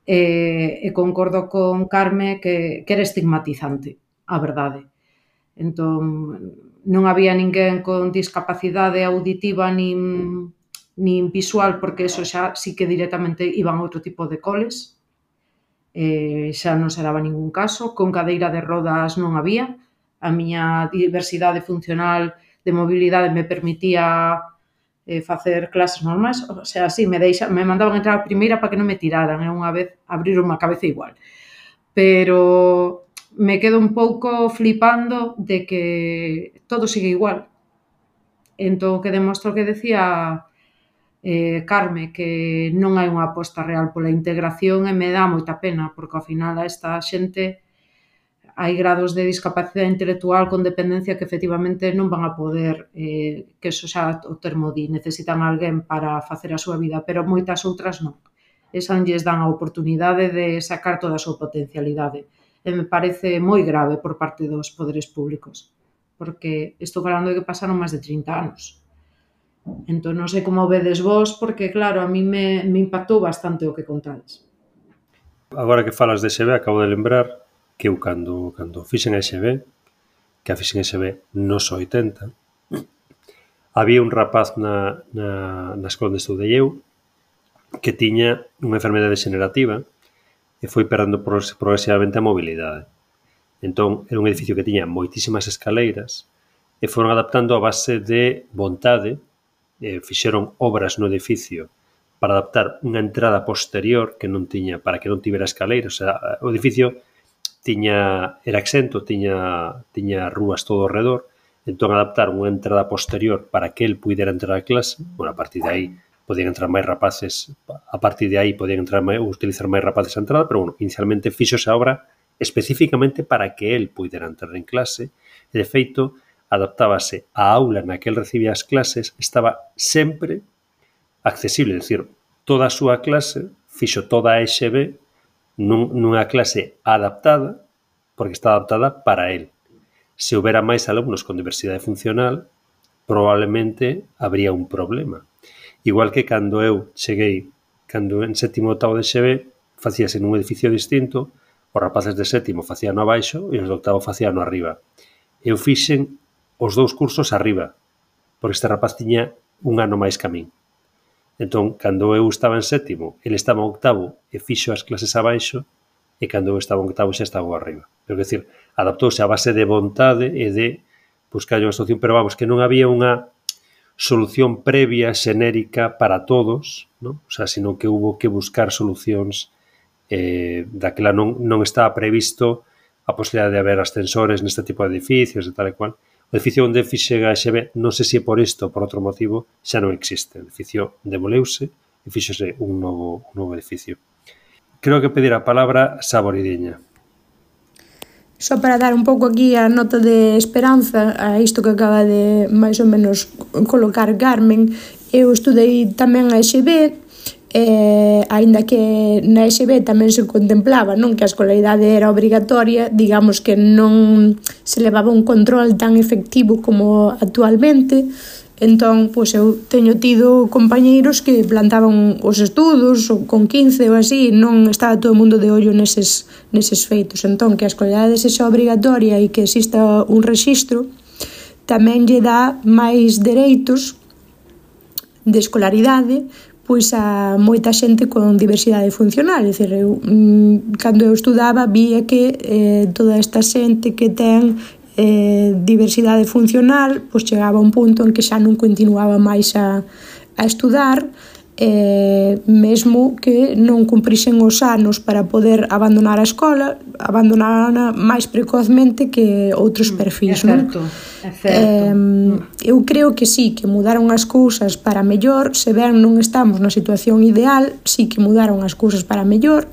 E, e concordo con Carme que, que era estigmatizante, a verdade. Entón, non había ninguén con discapacidade auditiva nin, nin visual, porque eso xa sí que directamente iban a outro tipo de coles, eh, xa non se daba ningún caso, con cadeira de rodas non había, a miña diversidade funcional de mobilidade me permitía eh, facer clases normais, o sea, sí, me, deixa, me mandaban entrar a primeira para que non me tiraran, e unha vez abriron a cabeza igual. Pero me quedo un pouco flipando de que todo sigue igual. Entón, que demostro que decía eh, Carme, que non hai unha aposta real pola integración e me dá moita pena, porque ao final a esta xente hai grados de discapacidade intelectual con dependencia que efectivamente non van a poder, eh, que eso xa o termo di, necesitan alguén para facer a súa vida, pero moitas outras non. Esa non lles dan a oportunidade de sacar toda a súa potencialidade. E me parece moi grave por parte dos poderes públicos, porque estou falando de que pasaron máis de trinta anos. Entón, non sei como vedes vos, porque, claro, a mí me, me impactou bastante o que contades. Agora que falas de E X B, acabo de lembrar que eu, cando, cando fixen a E X B, que a fixen a E X B nos oitenta, había un rapaz na, na, na escola onde estudei eu que tiña unha enfermedade degenerativa e foi perdendo progresivamente a mobilidade. Entón, era un edificio que tiña moitísimas escaleiras e foron adaptando a base de vontade, e fixeron obras no edificio para adaptar unha entrada posterior que non tiña, para que non tivera escaleiras. O sea, o edificio tiña, era exento, tiña, tiña rúas todo ao redor, entón adaptaron unha entrada posterior para que el puidera entrar a clase. Bueno, a partir de aí podían entrar máis rapaces, a partir de aí podían entrar máis, utilizar máis rapaces a entrada, pero bueno, inicialmente fixose a obra especificamente para que el puidera entrar en clase, e de feito adaptábase a aula na que el recibía as clases, estaba sempre accesible, é dicir, toda a súa clase fixo toda a E X B nun, nunha clase adaptada, porque está adaptada para el. Se houbera máis alumnos con diversidade funcional, probablemente habría un problema. Igual que cando eu cheguei, cando en sétimo octavo de E X B, facíase nun edificio distinto, os rapaces de sétimo facían no abaixo e os de octavo facían no arriba. Eu fixen os dous cursos arriba, porque este rapaz tiña un ano máis que a min. Entón, cando eu estaba en sétimo, ele estaba en octavo e fixo as clases abaixo, e cando eu estaba en octavo xa estaba arriba. Pero, é dicir, adaptouse a base de vontade e de buscar unha solución, pero vamos, que non había unha solución previa, xenérica para todos, ¿no? O sea, sino que hubo que buscar solucións eh, daquela non, non estaba previsto a posibilidade de haber ascensores neste tipo de edificios e tal e cual. O edificio onde fixe a E X B, non sei se por isto ou por outro motivo, xa non existe. O edificio demoleuse e fixose un novo, un novo edificio. Creo que pedir a palabra Saboridiña. Só para dar un pouco aquí a nota de esperanza a isto que acaba de máis ou menos colocar Carmen, eu estudei tamén a E X B, eh, aínda que na E X B tamén se contemplaba, non, que a escolaridade era obrigatoria, digamos que non se levaba un control tan efectivo como actualmente. Entón, pois eu teño tido compañeiros que plantaban os estudos con quince ou así, non estaba todo o mundo de ollo neses, neses feitos. Entón, que a escolaridade sexa obrigatoria e que exista un rexistro tamén lle dá máis dereitos de escolaridade pois a moita xente con diversidade funcional. É dicir, eu, cando eu estudaba vía que eh, toda esta xente que ten eh, diversidade funcional pois chegaba a un punto en que xa non continuaba máis a, a estudar, eh, mesmo que non cumprisen os anos para poder abandonar a escola, abandonarana máis precozmente que outros perfis. É certo, non? é certo. Eh, eu creo que sí, que mudaron as cousas para mellor, se ben non estamos na situación ideal, sí que mudaron as cousas para mellor,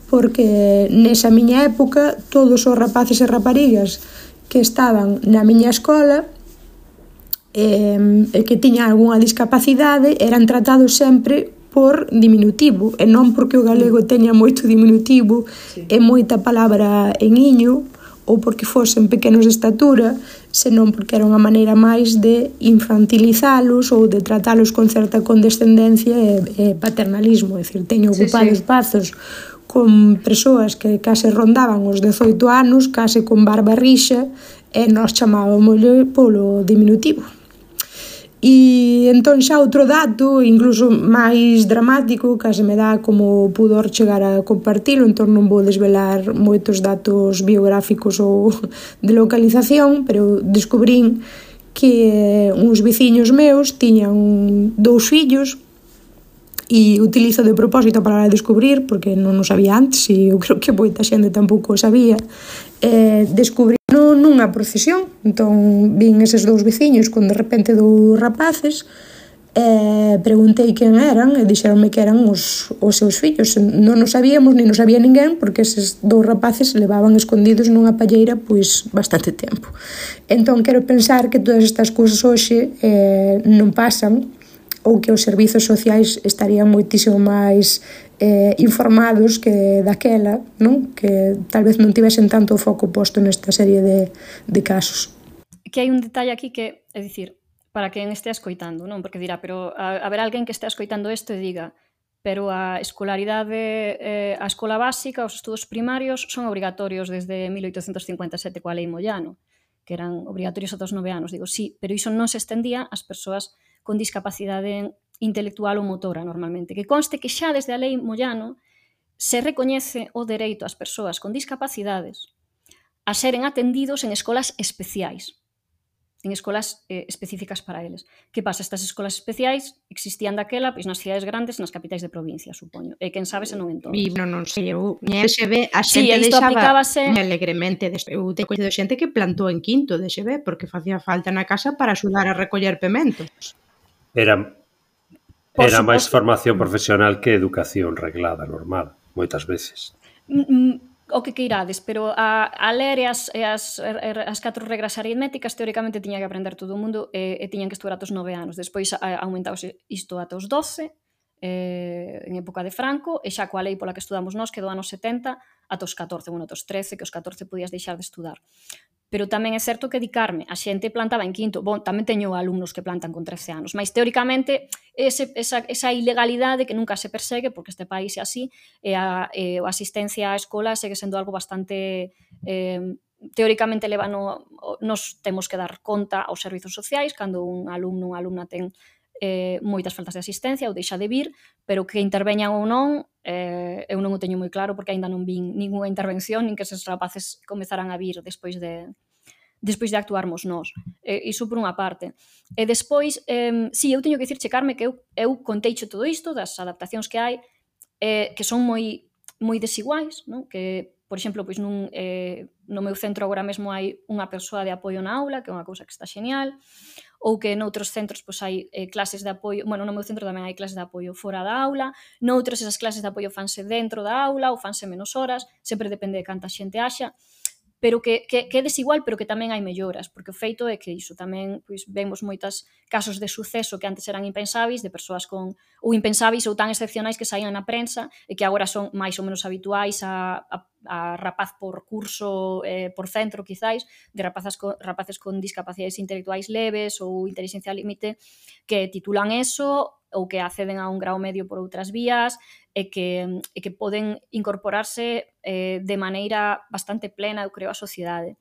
porque nesa miña época todos os rapaces e raparigas que estaban na miña escola e que tiñan algunha discapacidade eran tratados sempre por diminutivo, e non porque o galego teña moito diminutivo sí. e moita palabra en iño, ou porque fosen pequenos de estatura, senón porque era unha maneira máis de infantilizalos ou de tratalos con certa condescendencia e, e paternalismo. É dicir, teño ocupado sí, sí. espazos con persoas que case rondaban os dezoito anos, case con barba rixa, e nós chamábamos polo diminutivo. E entón xa outro dato, incluso máis dramático, case me dá como pudor chegar a compartilo, entón non vou desvelar moitos datos biográficos ou de localización, pero descubrín que uns veciños meus tiñan dous fillos, e utilizo de propósito para descubrir, porque non o sabía antes, e eu creo que moita xente tampouco o sabía, eh, descubrí nunha procesión. Entón vin eses dous veciños con de repente dous rapaces, eh, preguntei quen eran e dixeronme que eran os, os seus fillos. Non o sabíamos, nin o sabía ninguén, porque eses dous rapaces se levaban escondidos nunha palleira pois bastante tempo. Entón quero pensar que todas estas cousas hoxe eh, non pasan, ou que os servizos sociais estarían moitísimo máis eh, informados que daquela, non? Que tal vez non tivesen tanto o foco posto nesta serie de, de casos. Que hai un detalle aquí que, é dicir, para quen estea escoitando, non? Porque dirá, pero a, haber alguén que estea escoitando isto e diga, pero a escolaridade, eh, a escola básica, os estudos primarios son obrigatorios desde mil oitocentos cincuenta e sete coa Lei Moyano, que eran obrigatorios ata os nove anos. Digo, sí, pero iso non se estendía ás persoas con discapacidade intelectual ou motora normalmente. Que conste que xa desde a Lei Moyano se recoñece o dereito ás persoas con discapacidades a seren atendidos en escolas especiais, en escolas eh, específicas para eles. Que pasa? Estas escolas especiais existían daquela pois, nas cidades grandes, nas capitais de provincia, supoño. E quen sabe se non en todas. E non, non sei, eu, en X B a Sí, xente isto deixaba aplicábase- moi alegremente. Des- Eu teño coñecido xente que plantou en quinto de X B porque facía falta na casa para axudar a recoller pementos. Era, Por era máis suposto. formación profesional que educación reglada, normal, moitas veces. Mm, mm, o que queirades, pero a, a ler e as, e as, as catro regras aritméticas teóricamente tiña que aprender todo o mundo e, e tiñan que estudar ata os nove anos. Despois a, aumentaose isto ata os doce, eh, en época de Franco, e xa coa lei pola que estudamos nós, que do anos setenta ata os catorce, bueno, ata os trece, que os catorce podías deixar de estudar. Pero tamén é certo que dedicarme, a xente plantaba en quinto. Bon, tamén teño alumnos que plantan con trece anos, mas teóricamente ese, esa, esa ilegalidade que nunca se persegue, porque este país é así, e a, e a asistencia á escola segue sendo algo bastante... Eh, teóricamente leva no, nos temos que dar conta aos servizos sociais cando un alumno ou unha alumna ten eh, moitas faltas de asistencia ou deixa de vir, pero que interveñan ou non, eh, eu non o teño moi claro porque aínda non vin ninguna intervención nin que eses rapaces comezaran a vir despois de despois de actuarmos nós. E, iso por unha parte. E despois, eh, si, eu teño que dicir, Checarme, que eu, eu conteicho todo isto das adaptacións que hai, eh, que son moi moi desiguais, non? Que, por exemplo, pois nun, eh, no meu centro agora mesmo hai unha persoa de apoio na aula, que é unha cousa que está genial, ou que noutros centros pois, hai eh, clases de apoio, bueno, no meu centro tamén hai clases de apoio fora da aula, noutros esas clases de apoio fanse dentro da aula ou fanse menos horas, sempre depende de canta xente haxa, pero que, que, que é desigual, pero que tamén hai melloras, porque o feito é que iso tamén pois, vemos moitos casos de suceso que antes eran impensáveis, de persoas con ou impensáveis ou tan excepcionais que saían na prensa e que agora son máis ou menos habituais a, a, a rapaz por curso, eh, por centro, quizáis, de rapazas con, rapaces con discapacidades intelectuais leves ou inteligencia límite, que titulan eso ou que acceden a un grau medio por outras vías e que, e que poden incorporarse eh, de maneira bastante plena, eu creo, á sociedade.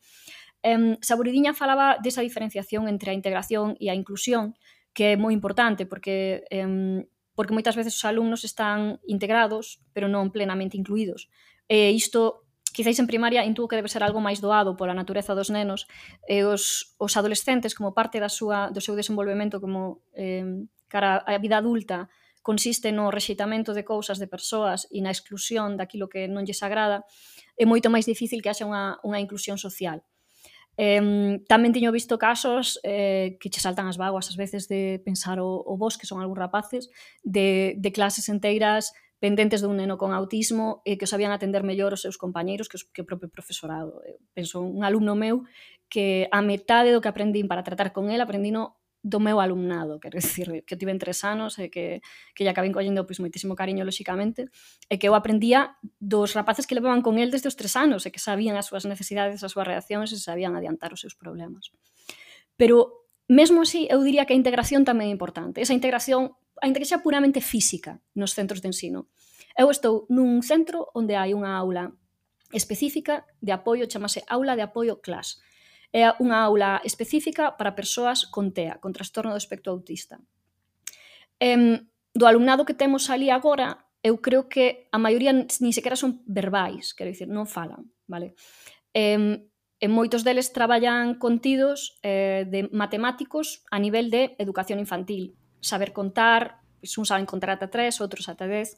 Eh, Saburidiña falaba desa diferenciación entre a integración e a inclusión, que é moi importante, porque, eh, porque moitas veces os alumnos están integrados, pero non plenamente incluídos. E isto, quizáis en primaria, intuo que debe ser algo máis doado pola natureza dos nenos, e os, os adolescentes, como parte da súa, do seu desenvolvemento como eh, cara á vida adulta, consiste no rexeitamento de cousas, de persoas e na exclusión daquilo que non lles agrada, é moito máis difícil que haxa unha, unha inclusión social. Eh, tamén teño visto casos eh, que che saltan as vaguas ás veces de pensar o, o vos, que son algúns rapaces, de, de clases enteiras pendentes dun neno con autismo e que sabían atender mellor os seus compañeiros que, os, que o propio profesorado. Eu penso un alumno meu que a metade do que aprendín para tratar con el aprendino do meu alumnado, quero dicir, que eu tiven tres anos e que, que lle acabei collendo pois, moitísimo cariño, lóxicamente, e que eu aprendía dos rapaces que levaban con el desde os tres anos e que sabían as súas necesidades, as súas reaccións e sabían adiantar os seus problemas. Pero, mesmo así, eu diría que a integración tamén é importante. Esa integración, ainda que xa puramente física nos centros de ensino. Eu estou nun centro onde hai unha aula específica de apoio, chamase Aula de Apoio Class. É unha aula específica para persoas con T E A, con trastorno do espectro autista. Eh, do alumnado que temos ali agora, eu creo que a maioría nin sequera son verbais, quero dicir, non falan, vale? Eh, e moitos deles traballan contidos eh, de matemáticos a nivel de educación infantil, saber contar, pois uns saben contar ata tres, outros ata dez,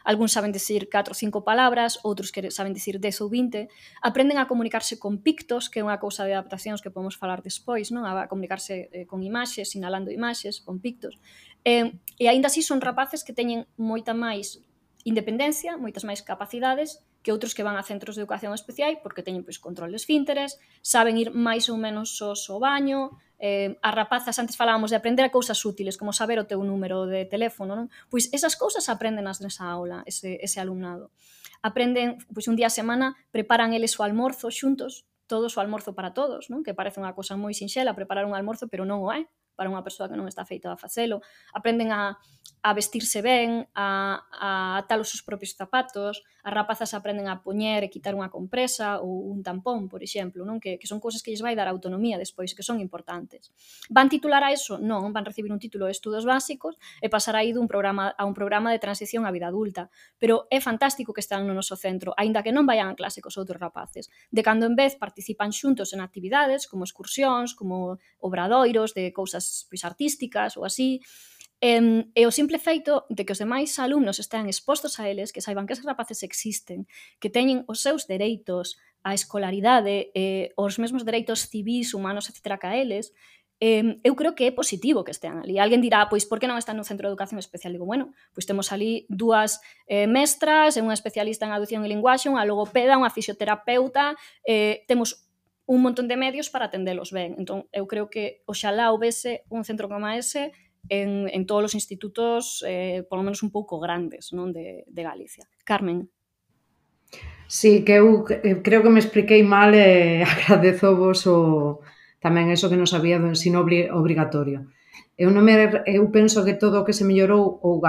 algúns saben dicir catro ou cinco palabras, outros que saben dicir dez ou vinte, aprenden a comunicarse con pictos, que é unha cousa de adaptacións que podemos falar despois, non? A comunicarse eh, con imaxes, sinalando imaxes, con pictos. E, e aínda así son rapaces que teñen moita máis independencia, moitas máis capacidades que outros que van a centros de educación especial porque teñen pois, control de esfínteres, saben ir máis ou menos sós ao baño, eh, as rapazas, antes falábamos de aprender a cousas útiles, como saber o teu número de teléfono, non? Pois esas cousas aprendenas nesa aula, ese, ese alumnado. Aprenden, pois un día a semana, preparan eles o almorzo xuntos, todos o almorzo para todos, non? Que parece unha cousa moi sinxela, preparar un almorzo, pero non o é. para unha persoa que non está feita a facelo, aprenden a, a vestirse ben, a, a atar os seus propios zapatos, as rapazas aprenden a poñer e quitar unha compresa ou un tampón, por exemplo, non? Que, que son cousas que lles vai dar autonomía despois, que son importantes. Van titular a eso? Non, van recibir un título de estudos básicos e pasar aí dun programa a un programa de transición á vida adulta. Pero é fantástico que están no noso centro, aínda que non vayan a clase cos outros rapaces. De cando en vez participan xuntos en actividades como excursións, como obradoiros de cousas pois, artísticas ou así. E, e o simple feito de que os demais alumnos estean expostos a eles, que saiban que esos rapaces existen, que teñen os seus dereitos á escolaridade, eh, os mesmos dereitos civís, humanos, etcétera, que a eles, eh, eu creo que é positivo que estean ali. Alguén dirá, pois, por que non están no centro de educación especial? Digo, bueno, pois temos ali dúas eh, mestras, unha especialista en audición e linguaxe, unha logopeda, unha fisioterapeuta, eh, temos un montón de medios para atendelos ben. Entón, eu creo que oxalá houvese un centro como ese en, en todos os institutos, eh, polo menos un pouco grandes, non, de, de Galicia. Carmen. Sí, que eu creo que me expliquei mal e agradezo vos o, tamén eso que non sabía do ensino obrigatorio. Eu, non me, eu penso que todo o que se mellorou, ou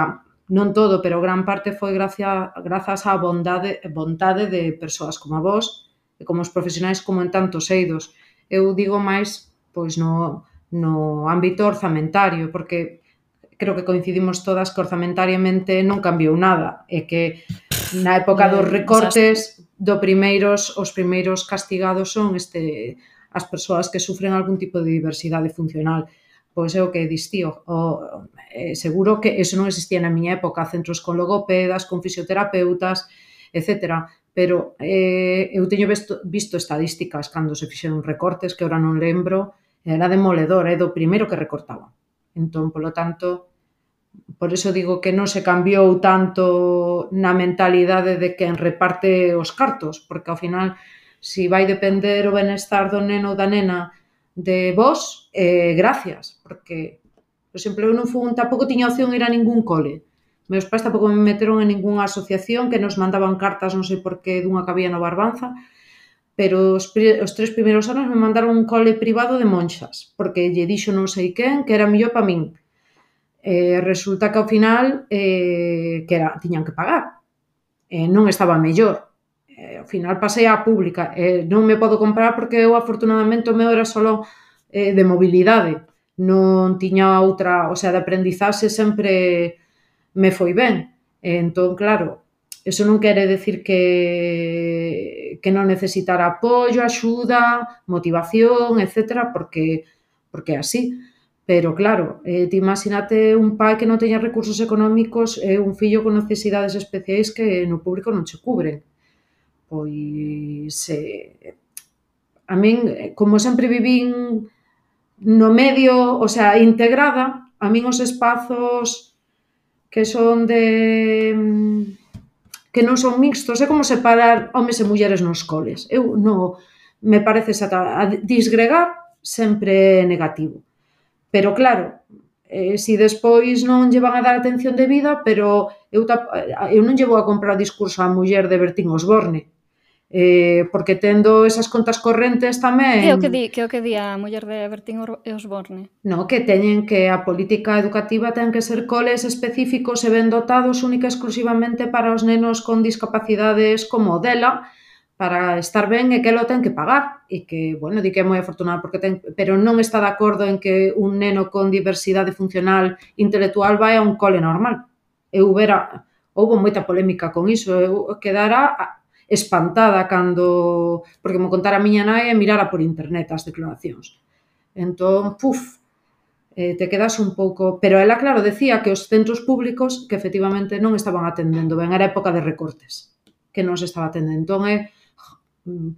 non todo, pero gran parte foi gracia, grazas á bondade, bondade de persoas como a vos e como os profesionais como en tantos eidos. Eu digo máis pois no, no ámbito orzamentario, porque creo que coincidimos todas que orzamentariamente non cambiou nada e que na época dos recortes do primeiros, os primeiros castigados son este, as persoas que sufren algún tipo de diversidade funcional. Pois é o que dis tío, o, eh, seguro que eso non existía na miña época, centros con logopedas, con fisioterapeutas, etcétera. Pero eh, eu teño visto, visto estadísticas cando se fixeron recortes, que ora non lembro, era demoledor, é do primeiro que recortaba. Entón, polo tanto, por iso digo que non se cambiou tanto na mentalidade de quen reparte os cartos, porque ao final, si vai depender o benestar do neno ou da nena de vos, eh, gracias, porque, por exemplo, eu non fui, tampouco tiña opción ir a ningún cole. Meus pais tampouco me meteron en ninguna asociación que nos mandaban cartas, non sei por que, dunha que había no Barbanza, pero os, os tres primeiros anos me mandaron un cole privado de monxas, porque lle dixo non sei quen que era mellor para min. Eh, resulta que ao final eh, que era, tiñan que pagar. Eh, non estaba mellor. Eh, ao final pasei á pública. Eh, non me podo comprar porque eu, afortunadamente, o meu era solo eh, de mobilidade. Non tiña outra, o sea, de aprendizaxe sempre me foi ben. Eh, entón, claro, eso non quere decir que, que non necesitara apoio, axuda, motivación, etcétera, porque, porque é así. Pero, claro, eh, ti imagínate un pai que non teña recursos económicos e un fillo con necesidades especiais que no público non che cubren. Pois, eh, a min, como sempre vivín no medio, o sea, integrada, a min os espazos que son de... que non son mixtos, é como separar homes e mulleres nos coles. Eu non, me parece a disgregar sempre negativo. Pero claro, eh, si despois non lle van a dar atención debida, pero eu, eu non lle vou a comprar o discurso á muller de Bertín Osborne, eh, porque tendo esas contas correntes tamén... Que é o que di, que é o que di a muller de Bertín Osborne? No, que teñen que a política educativa ten que ser coles específicos e ben dotados única e exclusivamente para os nenos con discapacidades como dela, para estar ben e que lo ten que pagar e que, bueno, di que é moi afortunada porque ten, pero non está de acordo en que un neno con diversidade funcional intelectual vai a un cole normal. Eu vera, houve moita polémica con iso, eu quedara espantada cando, porque me contara a miña nai e mirara por internet as declaracións. Entón, puf, eh, te quedas un pouco... Pero ela, claro, decía que os centros públicos que efectivamente non estaban atendendo ben, era época de recortes, que non se estaba atendendo. Entón, é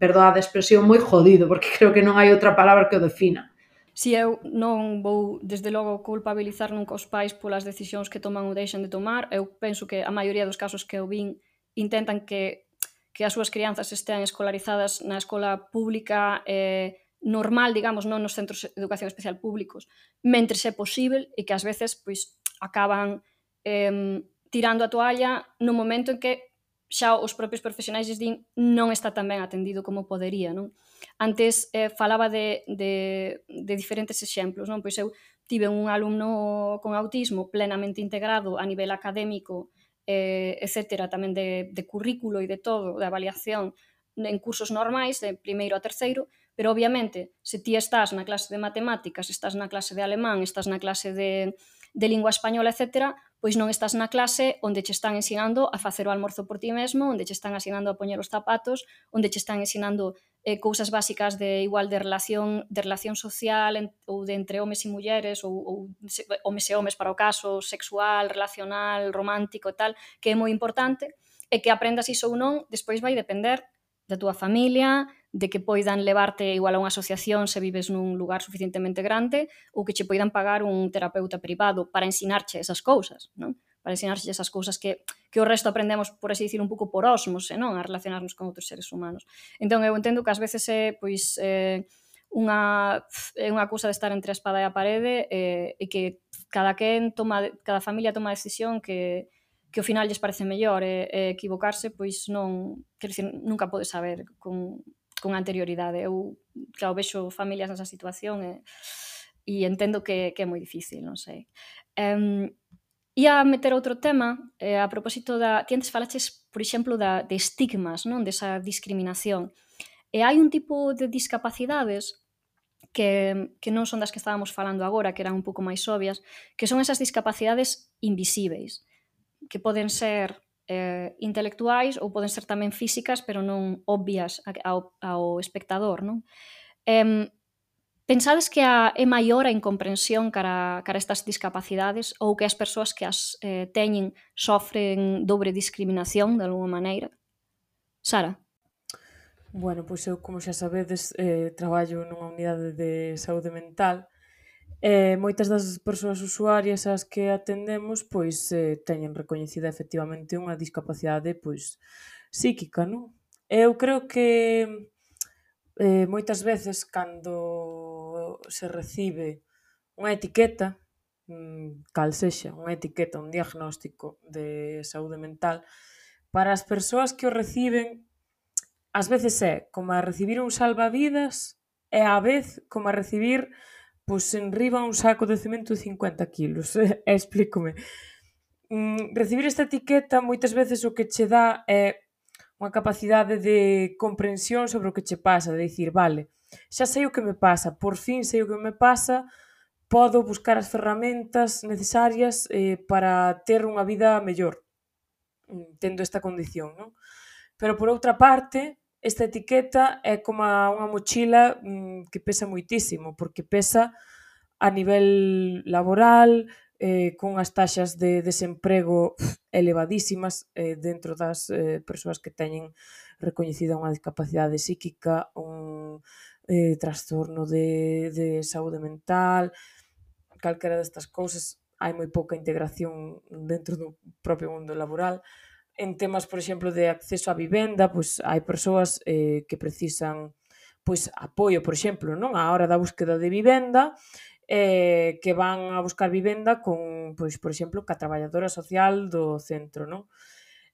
perdoa a expresión, moi jodido, porque creo que non hai outra palabra que o defina. Si eu non vou, desde logo, culpabilizar nunca os pais polas decisións que toman ou deixan de tomar, eu penso que a maioría dos casos que eu vin intentan que, que as súas crianzas estean escolarizadas na escola pública eh, normal, digamos, non nos centros de educación especial públicos, mentres é posible e que ás veces pois, acaban eh, tirando a toalla no momento en que xa os propios profesionais din non está tan ben atendido como podería, non? Antes eh, falaba de, de, de diferentes exemplos, non? Pois eu tive un alumno con autismo plenamente integrado a nivel académico, eh, etcétera, tamén de, de currículo e de todo, de avaliación en cursos normais, de primeiro a terceiro, pero obviamente, se ti estás na clase de matemáticas, estás na clase de alemán, estás na clase de, de lingua española, etcétera, pois non estás na clase onde che están ensinando a facer o almorzo por ti mesmo, onde che están ensinando a poñer os zapatos, onde che están ensinando eh, cousas básicas de igual de relación de relación social en, ou de entre homes e mulleres ou, ou se, homes e homes para o caso sexual, relacional, romántico e tal, que é moi importante, e que aprendas iso ou non, despois vai depender da túa familia, de que poidan levarte igual a unha asociación se vives nun lugar suficientemente grande ou que che poidan pagar un terapeuta privado para ensinarche esas cousas, non? Para ensinarche esas cousas que, que o resto aprendemos, por así dicir, un pouco por ósmose, non? A relacionarnos con outros seres humanos. Entón, eu entendo que ás veces é, pois, eh, unha, é unha cousa de estar entre a espada e a parede eh, e que cada quen toma, cada familia toma a decisión que que ao final lles parece mellor e, e equivocarse, pois non, quero dicir, nunca podes saber con, con anterioridade. Eu, claro, vexo familias nesa situación e, e entendo que, que é moi difícil, non sei. Um, ia meter outro tema eh, a propósito da... Ti antes falaches, por exemplo, da, de estigmas, non? Desa discriminación. E hai un tipo de discapacidades que, que non son das que estábamos falando agora, que eran un pouco máis obvias, que son esas discapacidades invisíveis, que poden ser eh, intelectuais ou poden ser tamén físicas, pero non obvias ao, ao espectador, non? Eh, pensades que a, é maior a incomprensión cara, cara estas discapacidades ou que as persoas que as eh, teñen sofren dobre discriminación de alguma maneira? Sara? Bueno, pois eu, como xa sabedes, eh, traballo nunha unidade de saúde mental. E moitas das persoas usuarias ás que atendemos pois eh, teñen recoñecida efectivamente unha discapacidade pois psíquica, non? Eu creo que eh, moitas veces cando se recibe unha etiqueta, mm, cal sexa, unha etiqueta, un diagnóstico de saúde mental, para as persoas que o reciben, ás veces é como a recibir un salvavidas e á vez como a recibir pois enriba un saco de cemento de cincuenta kilos, e explícome. Mm, recibir esta etiqueta moitas veces o que che dá é unha capacidade de comprensión sobre o que che pasa, de dicir, vale, xa sei o que me pasa, por fin sei o que me pasa, podo buscar as ferramentas necesarias eh, para ter unha vida mellor, tendo esta condición, non? Pero por outra parte, esta etiqueta é como unha mochila mmm, que pesa moitísimo, porque pesa a nivel laboral, eh, con as taxas de desemprego elevadísimas eh, dentro das eh, persoas que teñen recoñecida unha discapacidade psíquica, un eh, trastorno de, de saúde mental, calquera destas cousas, hai moi pouca integración dentro do propio mundo laboral. En temas, por exemplo, de acceso á vivenda, pois hai persoas eh, que precisan pois apoio, por exemplo, non á hora da búsqueda de vivenda, eh, que van a buscar vivenda con, pois, por exemplo, ca traballadora social do centro, non?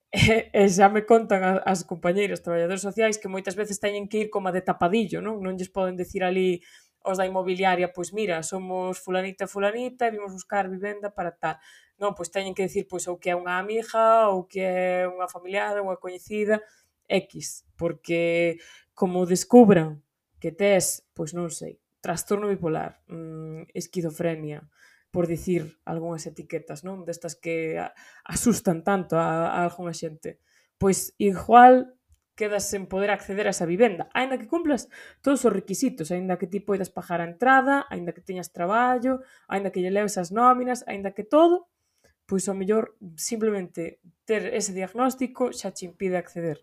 E, e xa me contan as compañeiras traballadoras sociais que moitas veces teñen que ir como de tapadillo, non? Non lles poden decir ali os da inmobiliaria, pois mira, somos fulanita e fulanita e vimos buscar vivenda para tal. Non, pois teñen que decir pois ou que é unha amiga ou que é unha familiar, unha coñecida, X, porque como descubran que tes, pois non sei, trastorno bipolar, mmm, esquizofrenia, por dicir algunhas etiquetas, non? Destas que asustan tanto a, a algunha xente. Pois igual quedas sen poder acceder a esa vivenda, aínda que cumplas todos os requisitos, aínda que ti poidas pagar a entrada, aínda que teñas traballo, aínda que lle leves as nóminas, aínda que todo, pois ao mellor simplemente ter ese diagnóstico xa che impide acceder,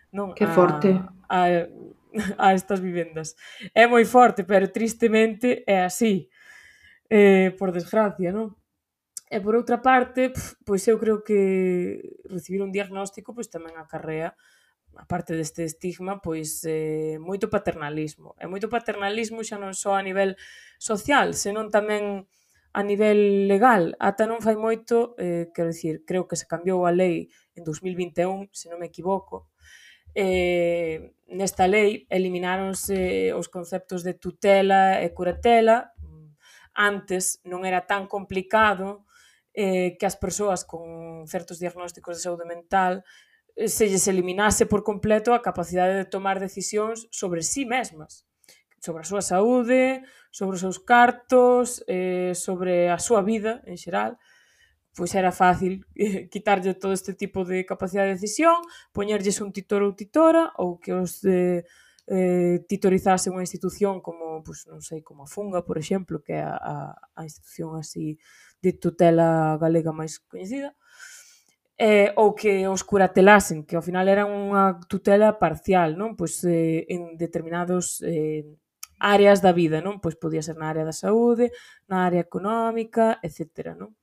non? Que forte. A, a, a estas vivendas. É moi forte, pero tristemente é así. Eh, por desgracia, non? E por outra parte, pf, pois eu creo que recibir un diagnóstico pois tamén acarrea, aparte deste estigma, pois eh, moito paternalismo. E moito paternalismo xa non só a nivel social, senón tamén a nivel legal. Ata non fai moito, eh, quero dicir, creo que se cambiou a lei en dos mil vinte e un, se non me equivoco. Eh, nesta lei elimináronse os conceptos de tutela e curatela. Antes non era tan complicado eh, que as persoas con certos diagnósticos de saúde mental eh, se lles eliminase por completo a capacidade de tomar decisións sobre sí mesmas, sobre a súa saúde, sobre os seus cartos, eh, sobre a súa vida en xeral. Pois era fácil eh, quitarlle todo este tipo de capacidade de decisión, poñerlles un titor ou titora, ou que os eh, eh, titorizase unha institución como, pues, non sei, como a Funga, por exemplo, que é a, a, a institución así de tutela galega máis coñecida, eh, ou que os curatelasen, que ao final era unha tutela parcial, non? Pois eh, en determinados eh, áreas da vida, non? Pois podía ser na área da saúde, na área económica, etcétera, non?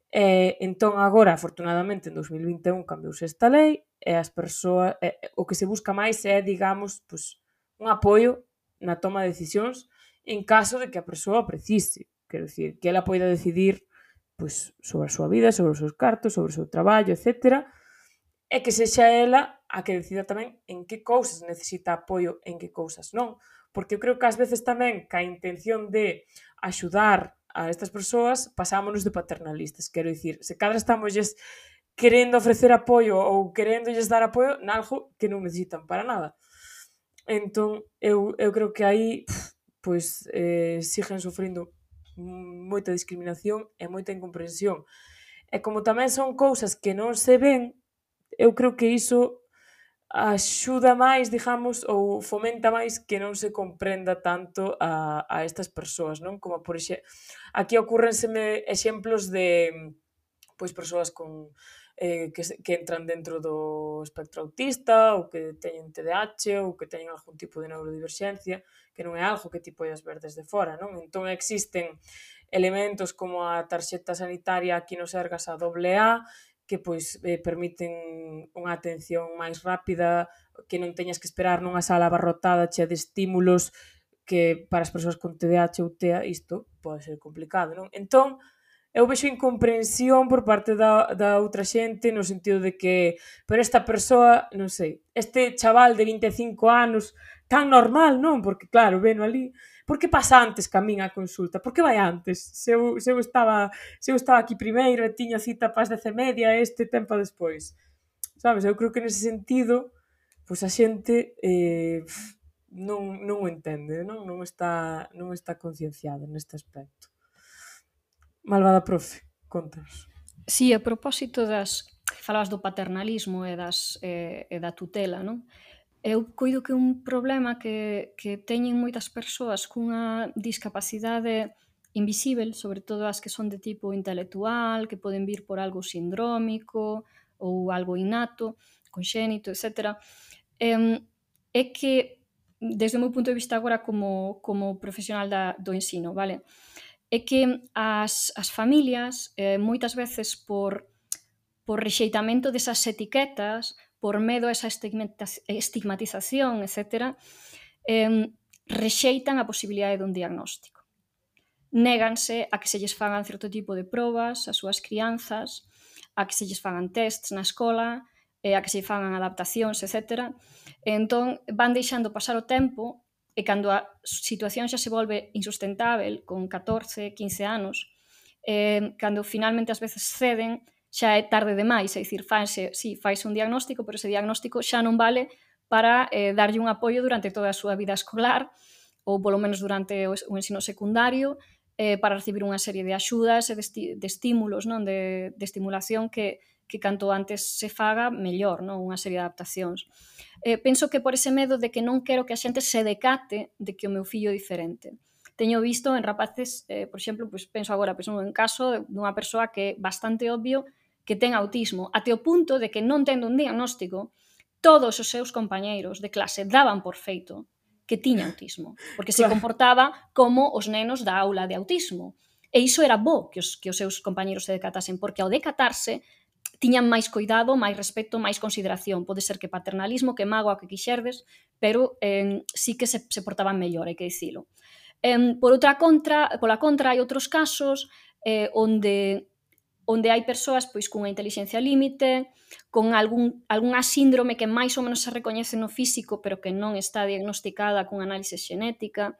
Eh, entón agora, afortunadamente, en dos mil vinte e un cambiouse esta lei e as persoas, eh, o que se busca máis é, digamos, pues, un apoio na toma de decisións en caso de que a persoa precise. Quero dicir, que ela poida decidir pues, sobre a súa vida, sobre os seus cartos, sobre o seu traballo, etcétera, e que sexa ela a que decida tamén en que cousas necesita apoio e en que cousas non. Porque eu creo que ás veces tamén ca intención de axudar a estas persoas pasámonos de paternalistas. Quero dicir, se cadra estamosles querendo ofrecer apoio ou queréndolles dar apoio nalgo que non necesitan para nada. Entón, eu, eu creo que aí pois, eh, siguen sufrindo moita discriminación e moita incomprensión. E como tamén son cousas que non se ven, eu creo que iso axuda máis, digamos, ou fomenta máis que non se comprenda tanto a, a estas persoas, non? Como por exemplo, aquí ocurrenseme exemplos de pois persoas con eh, que, que entran dentro do espectro autista ou que teñen T D A H ou que teñen algún tipo de neurodiverxencia, que non é algo que ti podes ver desde fora, non? Entón existen elementos como a tarxeta sanitaria aquí no Sergas a doble A, que pois eh, permiten unha atención máis rápida, que non teñas que esperar nunha sala abarrotada chea de estímulos, que para as persoas con T D A H ou T E A isto pode ser complicado, non? Entón, eu vexo incomprensión por parte da, da outra xente no sentido de que, pero esta persoa, non sei, este chaval de vinte e cinco anos, tan normal, non? Porque claro, veno ali, por que pasa antes que a min a consulta? Por que vai antes? Se eu, se eu, estaba, se eu estaba aquí primeiro e tiña cita para as dez e media este tempo despois. Sabes? Eu creo que nese sentido, pois a xente eh, non, non o entende, non? Non está, non está concienciada neste aspecto. Malvada profe, contas. Sí, a propósito das... Falabas do paternalismo e, das, e, e da tutela, non? Eu coido que un problema que, que teñen moitas persoas cunha discapacidade invisível, sobre todo as que son de tipo intelectual, que poden vir por algo sindrómico ou algo innato, conxénito, etcétera, é, é que, desde o meu punto de vista agora como, como profesional da, do ensino, vale? É que as, as familias, eh, moitas veces por, por rexeitamento desas etiquetas, por medo a esa estigmatización, etcétera, eh, rexeitan a posibilidade dun diagnóstico. Néganse a que se lles fagan certo tipo de probas ás súas crianzas, a que se lles fagan tests na escola, eh, a que se fagan adaptacións, etcétera. E entón van deixando pasar o tempo e cando a situación xa se volve insustentável, con catorce, quince anos, eh, cando finalmente as veces ceden, xa é tarde demais, é dicir, fanse, sí, faise un diagnóstico, pero ese diagnóstico xa non vale para eh, darlle un apoio durante toda a súa vida escolar, ou polo menos durante o ensino secundario, eh, para recibir unha serie de axudas e de, esti de estímulos, non? De, de estimulación que, que canto antes se faga, mellor, non? Unha serie de adaptacións. Eh, penso que por ese medo de que non quero que a xente se decate de que o meu fillo é diferente. Teño visto en rapaces, eh, por exemplo, pues, penso agora, penso en caso dunha persoa que é bastante obvio que ten autismo, até o punto de que non tendo un diagnóstico, todos os seus compañeiros de clase daban por feito que tiña autismo, porque se comportaba como os nenos da aula de autismo. E iso era bo que os, que os seus compañeiros se decatasen, porque ao decatarse tiñan máis cuidado, máis respeto, máis consideración. Pode ser que paternalismo, que mágoa, que quixerdes, pero eh, sí que se, se portaban mellor, hai que dicilo. Eh, por outra contra, pola contra, hai outros casos eh, onde onde hai persoas pois cunha inteligencia límite, con algún, algunha síndrome que máis ou menos se recoñece no físico, pero que non está diagnosticada cunha análise xenética,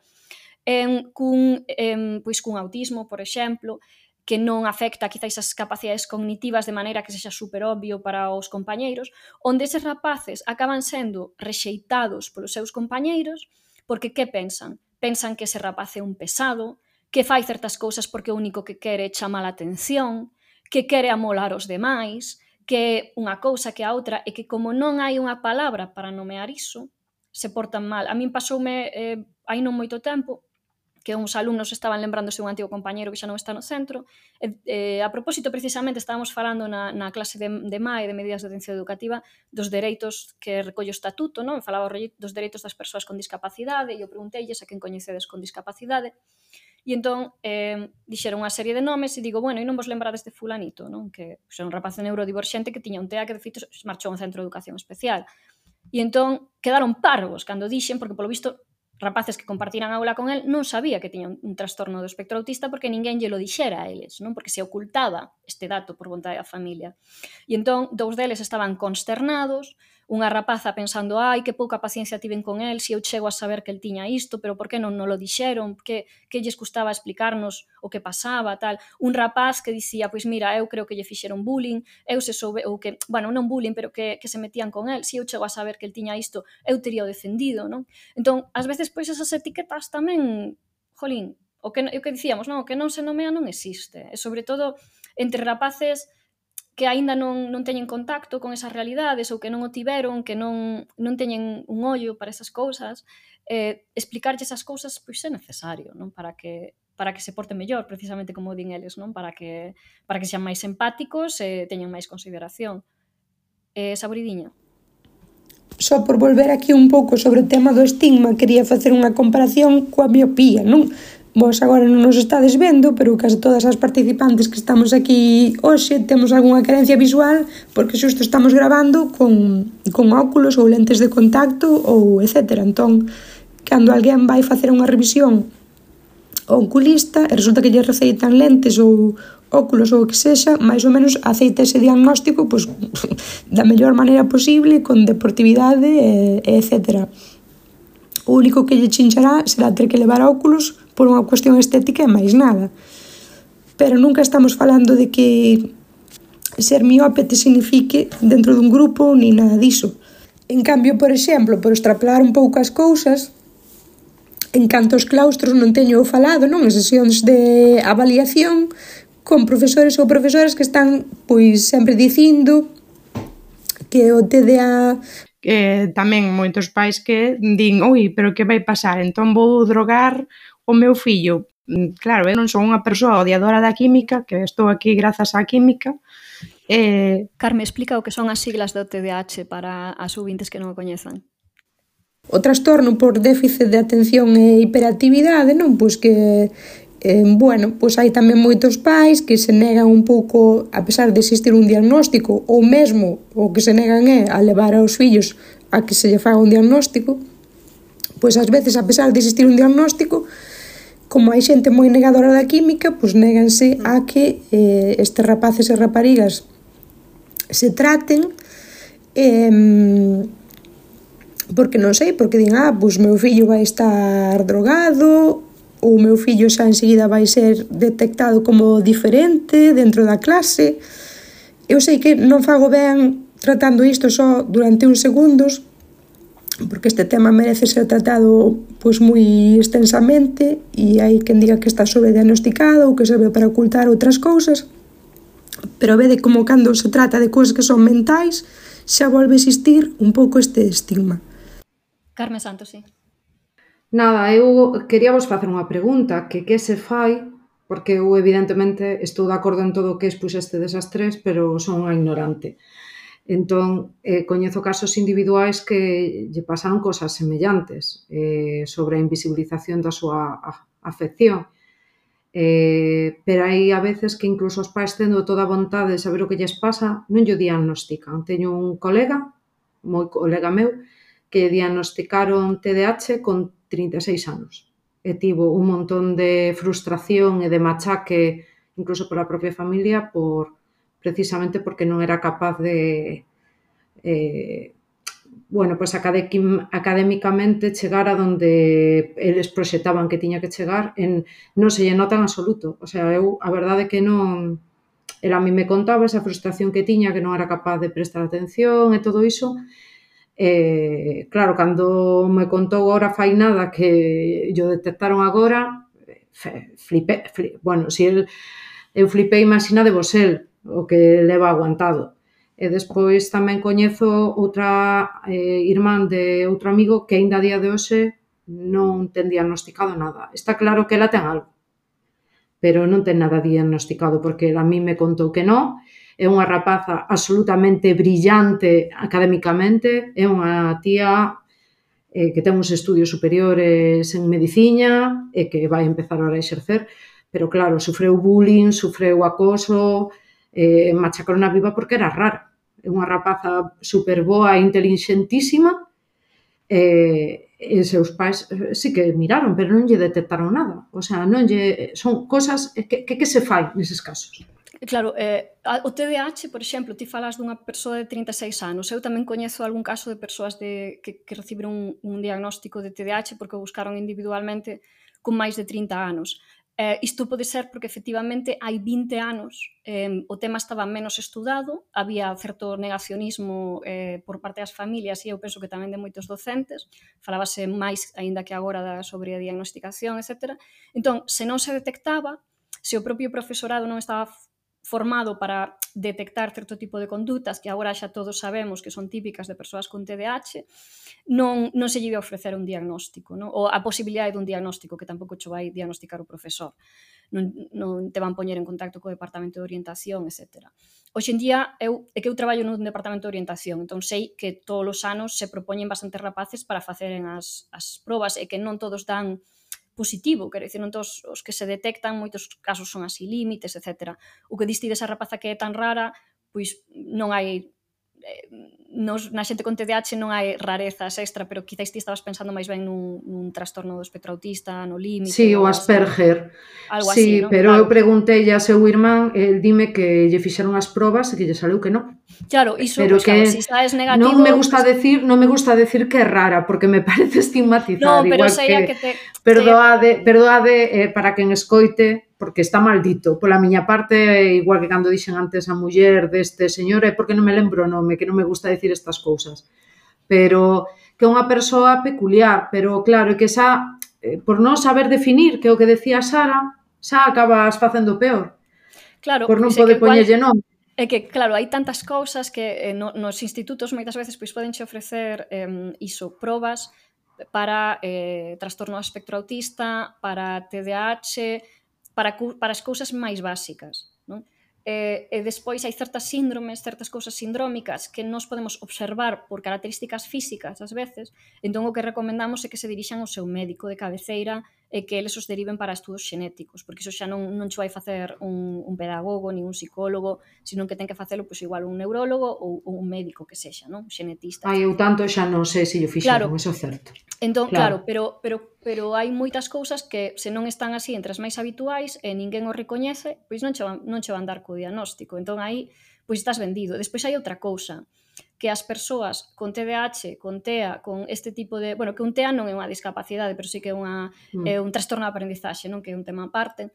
eh, cun, eh, pois cun autismo, por exemplo, que non afecta quizáis as capacidades cognitivas de maneira que sexa super obvio para os compañeiros, onde eses rapaces acaban sendo rexeitados polos seus compañeiros, porque que pensan? Pensan que ese rapaz é un pesado, que fai certas cousas porque o único que quere é chamar a atención, que quere amolar os demais, que unha cousa que a outra, e que como non hai unha palabra para nomear iso, se portan mal. A min pasoume eh, hai non moito tempo que uns alumnos estaban lembrándose un antigo compañeiro que xa non está no centro. E, eh, a propósito, precisamente, estábamos falando na, na clase de, de M A E, de Medidas de Atención Educativa, dos dereitos que recolle o estatuto, non? Falaba dos dereitos das persoas con discapacidade, e eu pregunteilles a quen coñecedes con discapacidade. E entón eh, dixeron unha serie de nomes e digo, bueno, e non vos lembrades de fulanito, non? Que pues, era un rapaz neurodiverxente que tiña un T E A que de feito marchou a un centro de educación especial. E entón quedaron parvos cando dixen, porque polo visto rapaces que compartiran aula con el non sabía que tiña un, un trastorno do espectro autista porque ninguén lle lo dixera a eles, non? Porque se ocultaba este dato por vontade da familia. E entón, dous deles estaban consternados, unha rapaza pensando, ai, que pouca paciencia tiven con el, se eu chego a saber que el tiña isto, pero por que non non lo dixeron, que, que lles custaba explicarnos o que pasaba, tal. Un rapaz que dicía, pois mira, eu creo que lle fixeron bullying, eu se soube, ou que, bueno, non bullying, pero que, que se metían con el, se eu chego a saber que el tiña isto, eu tería o defendido, non? Entón, ás veces, pois, esas etiquetas tamén, jolín, o que, o que dicíamos, non? O que non se nomea non existe, e sobre todo entre rapaces que aínda non, non teñen contacto con esas realidades ou que non o tiveron, que non, non teñen un ollo para esas cousas, eh, explicarlle esas cousas pois é necesario, non? Para que para que se porte mellor, precisamente como din eles, non? Para que para que sean máis empáticos e teñan máis consideración. Eh, Saboridiña. Só por volver aquí un pouco sobre o tema do estigma, quería facer unha comparación coa miopía, non? Vos agora non nos estades vendo, pero case todas as participantes que estamos aquí hoxe temos algunha carencia visual porque xusto estamos gravando con, con óculos ou lentes de contacto ou etcétera. Entón, cando alguén vai facer unha revisión ao oculista e resulta que lle receitan lentes ou óculos ou o que sexa, máis ou menos aceita ese diagnóstico pois, da mellor maneira posible, con deportividade, e, etcétera. O único que lle chinchará será ter que levar óculos por unha cuestión estética e máis nada. Pero nunca estamos falando de que ser miope te signifique dentro dun grupo ni nada diso. En cambio, por exemplo, por extrapolar un pouco as cousas, en canto aos claustros non teño falado, non? En sesións de avaliación con profesores ou profesoras que están pois sempre dicindo que o T D A eh, tamén moitos pais que din, oi, pero que vai pasar? Entón vou drogar o meu fillo. Claro, eu non son unha persoa odiadora da química, que estou aquí grazas á química. Eh... Carme, explica o que son as siglas do T D A H para as ouvintes que non o coñezan. O trastorno por déficit de atención e hiperactividade, non? Pois que, eh, bueno, pois hai tamén moitos pais que se negan un pouco, a pesar de existir un diagnóstico, ou mesmo o que se negan é a levar aos fillos a que se lle faga un diagnóstico, pois ás veces, a pesar de existir un diagnóstico, como hai xente moi negadora da química, pois néganse a que eh, estes rapaces e raparigas se traten, eh, porque non sei, porque din, ah, pois meu fillo vai estar drogado, ou meu fillo xa enseguida vai ser detectado como diferente dentro da clase. Eu sei que non fago ben tratando isto só durante uns segundos, porque este tema merece ser tratado pois moi extensamente e hai quen diga que está sobrediagnosticado ou que serve para ocultar outras cousas, pero vede como cando se trata de cousas que son mentais xa volve a existir un pouco este estigma. Carme Santos, sí. Nada, eu quería vos facer unha pregunta, que que se fai, porque eu evidentemente estou de acordo en todo o que expuxeste desas tres, pero son unha ignorante. Entón, eh, coñezo casos individuais que lle pasaron cosas semellantes eh, sobre a invisibilización da súa afección. Eh, pero hai a veces que incluso os pais tendo toda a vontade de saber o que lles pasa, non lle diagnostican. Teño un colega, moi colega meu, que diagnosticaron T D A H con trinta e seis anos. e tivo un montón de frustración e de machaque incluso pola propia familia por precisamente porque non era capaz de eh, bueno, pues académicamente chegar a donde eles proxectaban que tiña que chegar, en, non se lle nota en absoluto. O sea, eu, a verdade é que non... Ela a mí me contaba esa frustración que tiña, que non era capaz de prestar atención e todo iso. E, claro, cando me contou ahora fai nada que yo detectaron agora, flipé, flipé. Bueno, si el, eu flipei, imagina de vos el, o que leva aguantado. E despois tamén coñezo outra eh, irmán de outro amigo que aínda a día de hoxe non ten diagnosticado nada. Está claro que ela ten algo, pero non ten nada diagnosticado, porque a mí me contou que non. É unha rapaza absolutamente brillante académicamente, é unha tía eh, que ten uns estudios superiores en medicina e que vai empezar ahora a exercer, pero claro, sufreu bullying, sufreu acoso, eh, machacaron a viva porque era rara. É unha rapaza super boa e inteligentísima, e, e seus pais sí que miraron, pero non lle detectaron nada. O sea, non lle... Son cosas que, que, que se fai neses casos. Claro, eh, o T D A H, por exemplo, ti falas dunha persoa de trinta e seis anos. Eu tamén coñezo algún caso de persoas de, que, que recibiron un, un diagnóstico de T D A H porque o buscaron individualmente con máis de trinta anos. Eh, isto pode ser porque efectivamente hai vinte anos eh, o tema estaba menos estudado, había certo negacionismo eh, por parte das familias e eu penso que tamén de moitos docentes, falábase máis aínda que agora da, sobre a diagnosticación, etcétera. Entón, se non se detectaba, se o propio profesorado non estaba formado para detectar certo tipo de condutas que agora xa todos sabemos que son típicas de persoas con T D A H, non, non se lle iba a ofrecer un diagnóstico, non? Ou a posibilidade dun diagnóstico que tampouco cho vai diagnosticar o profesor. Non, non te van poñer en contacto co departamento de orientación, etcétera. Hoxe en día, eu, é que eu traballo nun departamento de orientación, entón sei que todos os anos se propoñen bastantes rapaces para faceren as, as probas e que non todos dan positivo, quero dicir, non todos os que se detectan, moitos casos son así límites, etcétera. O que diste desa rapaza que é tan rara, pois non hai... Nos, na xente con T D A H non hai rarezas extra, pero quizáis ti estabas pensando máis ben nun, nun trastorno do espectro autista, no límite. Sí, o Asperger. Algo sí, así, ¿no? pero Claro. Eu preguntei a seu irmán, el dime que lle fixeron as probas e que lle saleu que non. Claro, iso, pero pues, que claro, si sabes negativo... Non me gusta decir, non me gusta decir que é rara, porque me parece estigmatizar, no, pero igual sería que, que te... perdoade, perdoade eh, para quen escoite, porque está maldito. Pola miña parte, igual que cando dixen antes a muller deste señor, é porque non me lembro o nome, que non me gusta decir estas cousas. Pero que é unha persoa peculiar, pero claro, que xa, eh, por non saber definir, que é o que decía Sara, xa acabas facendo peor. Claro, por non pois é poder que igual- poñerlle nome. É que, claro, hai tantas cousas que eh, no, nos institutos moitas veces pois podenche ofrecer eh, iso, probas para eh, trastorno do espectro autista, para T D A H, para, cu- para as cousas máis básicas, non? E, e despois hai certas síndromes, certas cousas sindrómicas que nos podemos observar por características físicas ás veces, entón o que recomendamos é que se dirixan ao seu médico de cabeceira e que eles os deriven para estudos xenéticos, porque iso xa non, non cho vai facer un, un pedagogo ni un psicólogo, sino que ten que facelo pois, igual un neurólogo ou, ou un médico que sexa, non? Un xenetista. Ai, eu tanto xa non sei se lle fixeron, Claro. eso é certo. Entón, Claro. claro, pero, pero, pero hai moitas cousas que se non están así entre as máis habituais e ninguén o recoñece, pois non che van, non che van dar co diagnóstico. Entón aí, pois estás vendido. Despois hai outra cousa, que as persoas con T D A H, con T E A, con este tipo de... Bueno, que un T E A non é unha discapacidade, pero sí que é, unha, Mm. é un trastorno de aprendizaxe, non? Que é un tema aparte.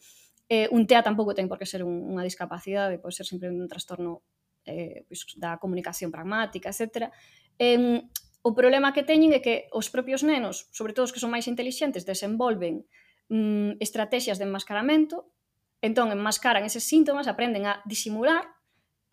Eh, un T E A tampouco ten por que ser un, unha discapacidade, pode ser sempre un trastorno eh, pois, da comunicación pragmática, etcétera. Eh, o problema que teñen é que os propios nenos, sobre todo os que son máis intelixentes, desenvolven mm, estrategias de enmascaramento, entón enmascaran eses síntomas, aprenden a disimular,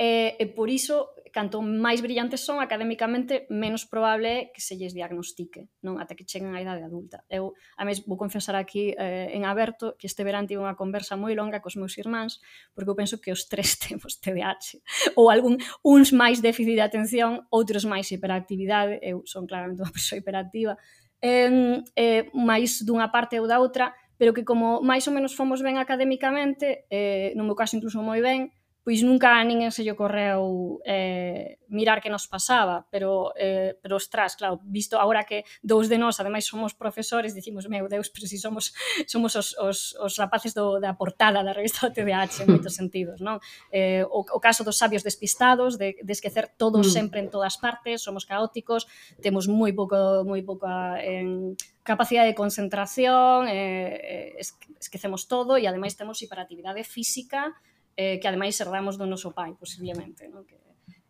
e, e por iso, canto máis brillantes son académicamente, menos probable é que se lles diagnostique, non? Ata que cheguen á idade adulta. Eu, a mes, vou confesar aquí eh, en aberto que este verán tive unha conversa moi longa cos meus irmáns, porque eu penso que os tres temos T D A H, ou algún, uns máis déficit de atención, outros máis hiperactividade, eu son claramente unha persoa hiperactiva, eh, eh, máis dunha parte ou da outra, pero que como máis ou menos fomos ben académicamente, eh, no meu caso incluso moi ben, pois nunca a ninguén se lle ocorreu eh, mirar que nos pasaba, pero, eh, pero ostras, claro, visto agora que dous de nós, ademais, somos profesores, dicimos, meu Deus, pero si somos somos os, os, os rapaces do, da portada da revista do T D A H en moitos sentidos, non? Eh, o, o caso dos sabios despistados, de, de esquecer todos Mm. sempre en todas partes, somos caóticos, temos moi pouco, moi pouca en, capacidade de concentración, eh, esquecemos todo e ademais temos hiperactividade física, eh, que ademais herdamos do noso pai, posiblemente, non? Que,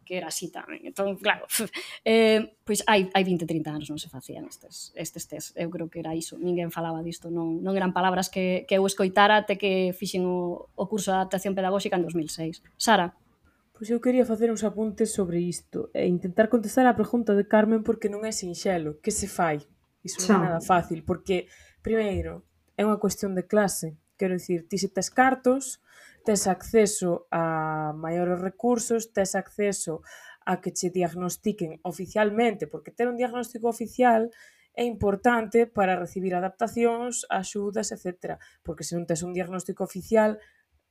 que era así tamén. Entón, claro, eh, pois hai, hai vinte, trinta anos non se facían estes, estes test. Eu creo que era iso. Ninguén falaba disto. Non, non eran palabras que, que eu escoitara até que fixen o, o curso de adaptación pedagóxica en dos mil seis. Sara? Pois eu quería facer uns apuntes sobre isto e intentar contestar a pregunta de Carmen porque non é sinxelo. Que se fai? Iso non é nada fácil, porque, primeiro, é unha cuestión de clase. Quero dicir, ti se tes cartos, tes acceso a maiores recursos, tes acceso a que che diagnostiquen oficialmente, porque ter un diagnóstico oficial é importante para recibir adaptacións, axudas, etcétera. Porque se non tes un diagnóstico oficial,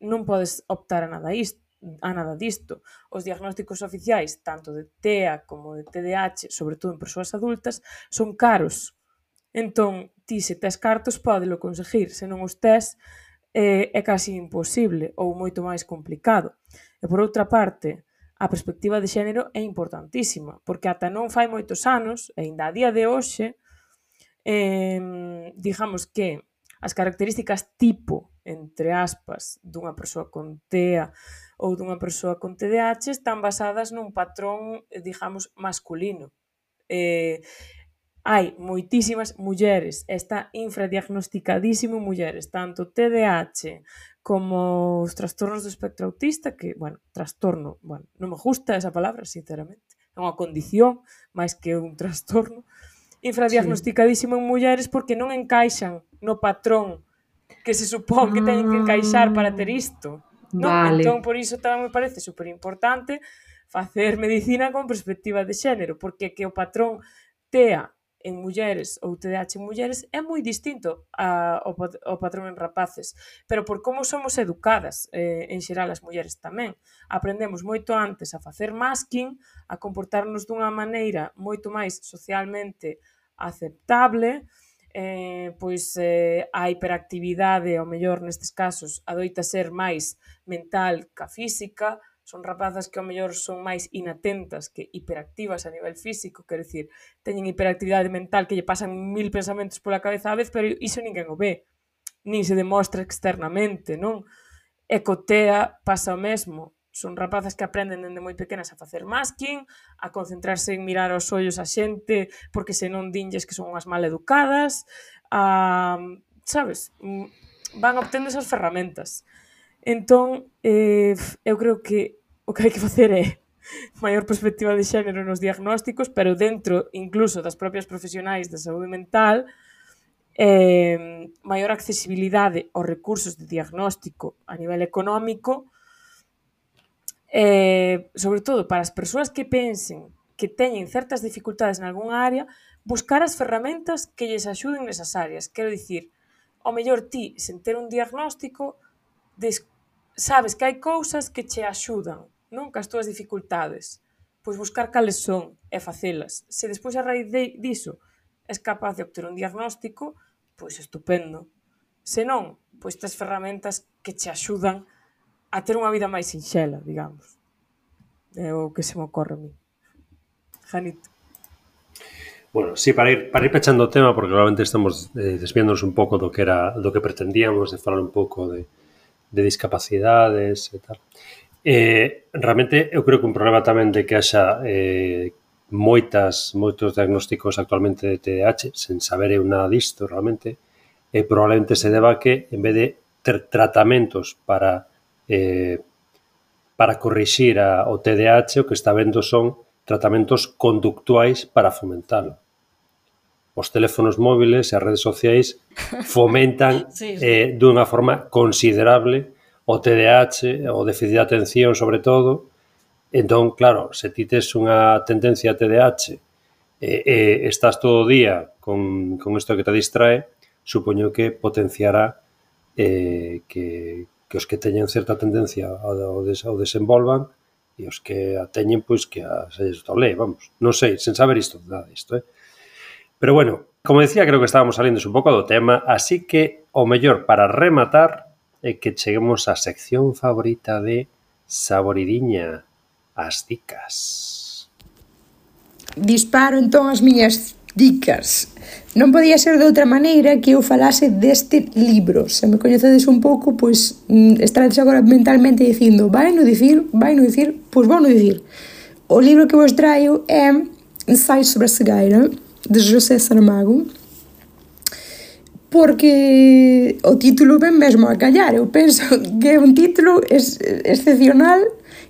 non podes optar a nada isto. a nada disto. Os diagnósticos oficiais, tanto de T E A como de T D A H, sobre todo en persoas adultas, son caros. Entón, ti se tes cartos pódelo conseguir, se non os tes eh, é casi imposible ou moito máis complicado. E por outra parte, a perspectiva de xénero é importantísima, porque ata non fai moitos anos, e ainda a día de hoxe, eh, digamos que as características tipo, entre aspas, dunha persoa con T E A ou dunha persoa con T D A H están basadas nun patrón, digamos, masculino. Eh, hai moitísimas mulleres, está infradiagnosticadísimo mulleres, tanto T D A H como os trastornos do espectro autista, que, bueno, trastorno, bueno, non me gusta esa palabra, sinceramente, é unha condición máis que un trastorno, infradiagnosticadísimo en mulleres porque non encaixan no patrón que se supón que teñen que encaixar para ter isto. Non? Vale. Entón, por iso tamén me parece super importante facer medicina con perspectiva de xénero, porque que o patrón T E A en mulleres ou T D A H en mulleres é moi distinto a, ao, ao patrón en rapaces, pero por como somos educadas eh, en xeral as mulleres tamén. Aprendemos moito antes a facer masking, a comportarnos dunha maneira moito máis socialmente aceptable, eh, pois eh, a hiperactividade, ao mellor nestes casos, adoita ser máis mental ca física, son rapazas que ao mellor son máis inatentas que hiperactivas a nivel físico, quero dicir, teñen hiperactividade mental que lle pasan mil pensamentos pola cabeza á vez, pero iso ninguén o ve, nin se demostra externamente, non? E co T E A pasa o mesmo, son rapazas que aprenden dende moi pequenas a facer masking, a concentrarse en mirar aos ollos a xente, porque senón dinlles que son unhas mal educadas, a, sabes, van obtendo esas ferramentas. Entón, eh, eu creo que o que hai que facer é maior perspectiva de xénero nos diagnósticos, pero dentro incluso das propias profesionais de saúde mental, eh, maior accesibilidade aos recursos de diagnóstico a nivel económico, eh, sobre todo para as persoas que pensen que teñen certas dificultades en algunha área, buscar as ferramentas que lles axuden nesas áreas. Quero dicir, ao mellor ti, sen ter un diagnóstico, des, sabes que hai cousas que che axudan, non? Que as túas dificultades. Pois buscar cales son e facelas. Se despois a raíz de, diso és capaz de obter un diagnóstico, pois estupendo. Se non, pois tes ferramentas que che axudan a ter unha vida máis sinxela, digamos. É o que se me ocorre a mí. Janito. Bueno, sí, para ir, para ir pechando o tema, porque realmente estamos eh, desviándonos un pouco do que era do que pretendíamos, de falar un pouco de, de discapacidades e tal. Eh, realmente, eu creo que un problema tamén de que haxa eh, moitas, moitos diagnósticos actualmente de T D A H, sen saber eu nada disto, realmente, eh, probablemente se deba que, en vez de ter tratamentos para eh, para corrixir a, o T D A H, o que está vendo son tratamentos conductuais para fomentalo. Os teléfonos móviles e as redes sociais fomentan sí, sí. Eh, dunha forma considerable o T D A H, o déficit de atención sobre todo. Entón, claro, se ti tes unha tendencia a T D A H e eh, eh, estás todo o día con, con isto que te distrae, supoño que potenciará eh, que, que os que teñen certa tendencia ao, des, ao desenvolvan e os que a teñen, pois, que a se estole, vamos. Non sei, sen saber isto, nada isto, eh? Pero bueno, como decía, creo que estábamos salindo un pouco do tema, así que o mellor para rematar é que cheguemos á sección favorita de Saboridiña, as dicas. Disparo entón as miñas dicas. Non podía ser de outra maneira que eu falase deste libro. Se me coñecedes un pouco, pois estaredes agora mentalmente dicindo vai no dicir, vai no dicir, pois vou no dicir. O libro que vos traio é Ensaio sobre a cegueira, de José Saramago, porque o título ven mesmo a callar. Eu penso que é un título ex excepcional,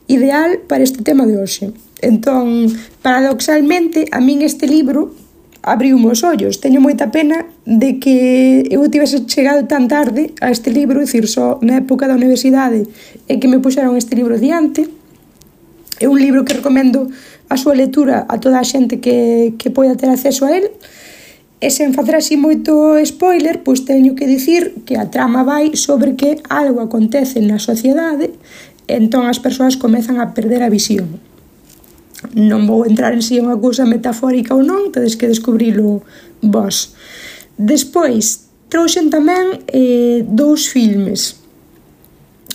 ideal para este tema de hoxe. Entón, paradoxalmente, a min este libro abriu os ollos. Teño moita pena de que eu tivese chegado tan tarde a este libro, é dicir, só na época da universidade e que me puxeron este libro diante. É un libro que recomendo a súa lectura a toda a xente que, que poida ter acceso a él. E sen facer así moito spoiler, pois teño que dicir que a trama vai sobre que algo acontece na sociedade e entón as persoas comezan a perder a visión. Non vou entrar en si unha cousa metafórica ou non, tedes que descubrilo vos. Despois, trouxen tamén eh, dous filmes.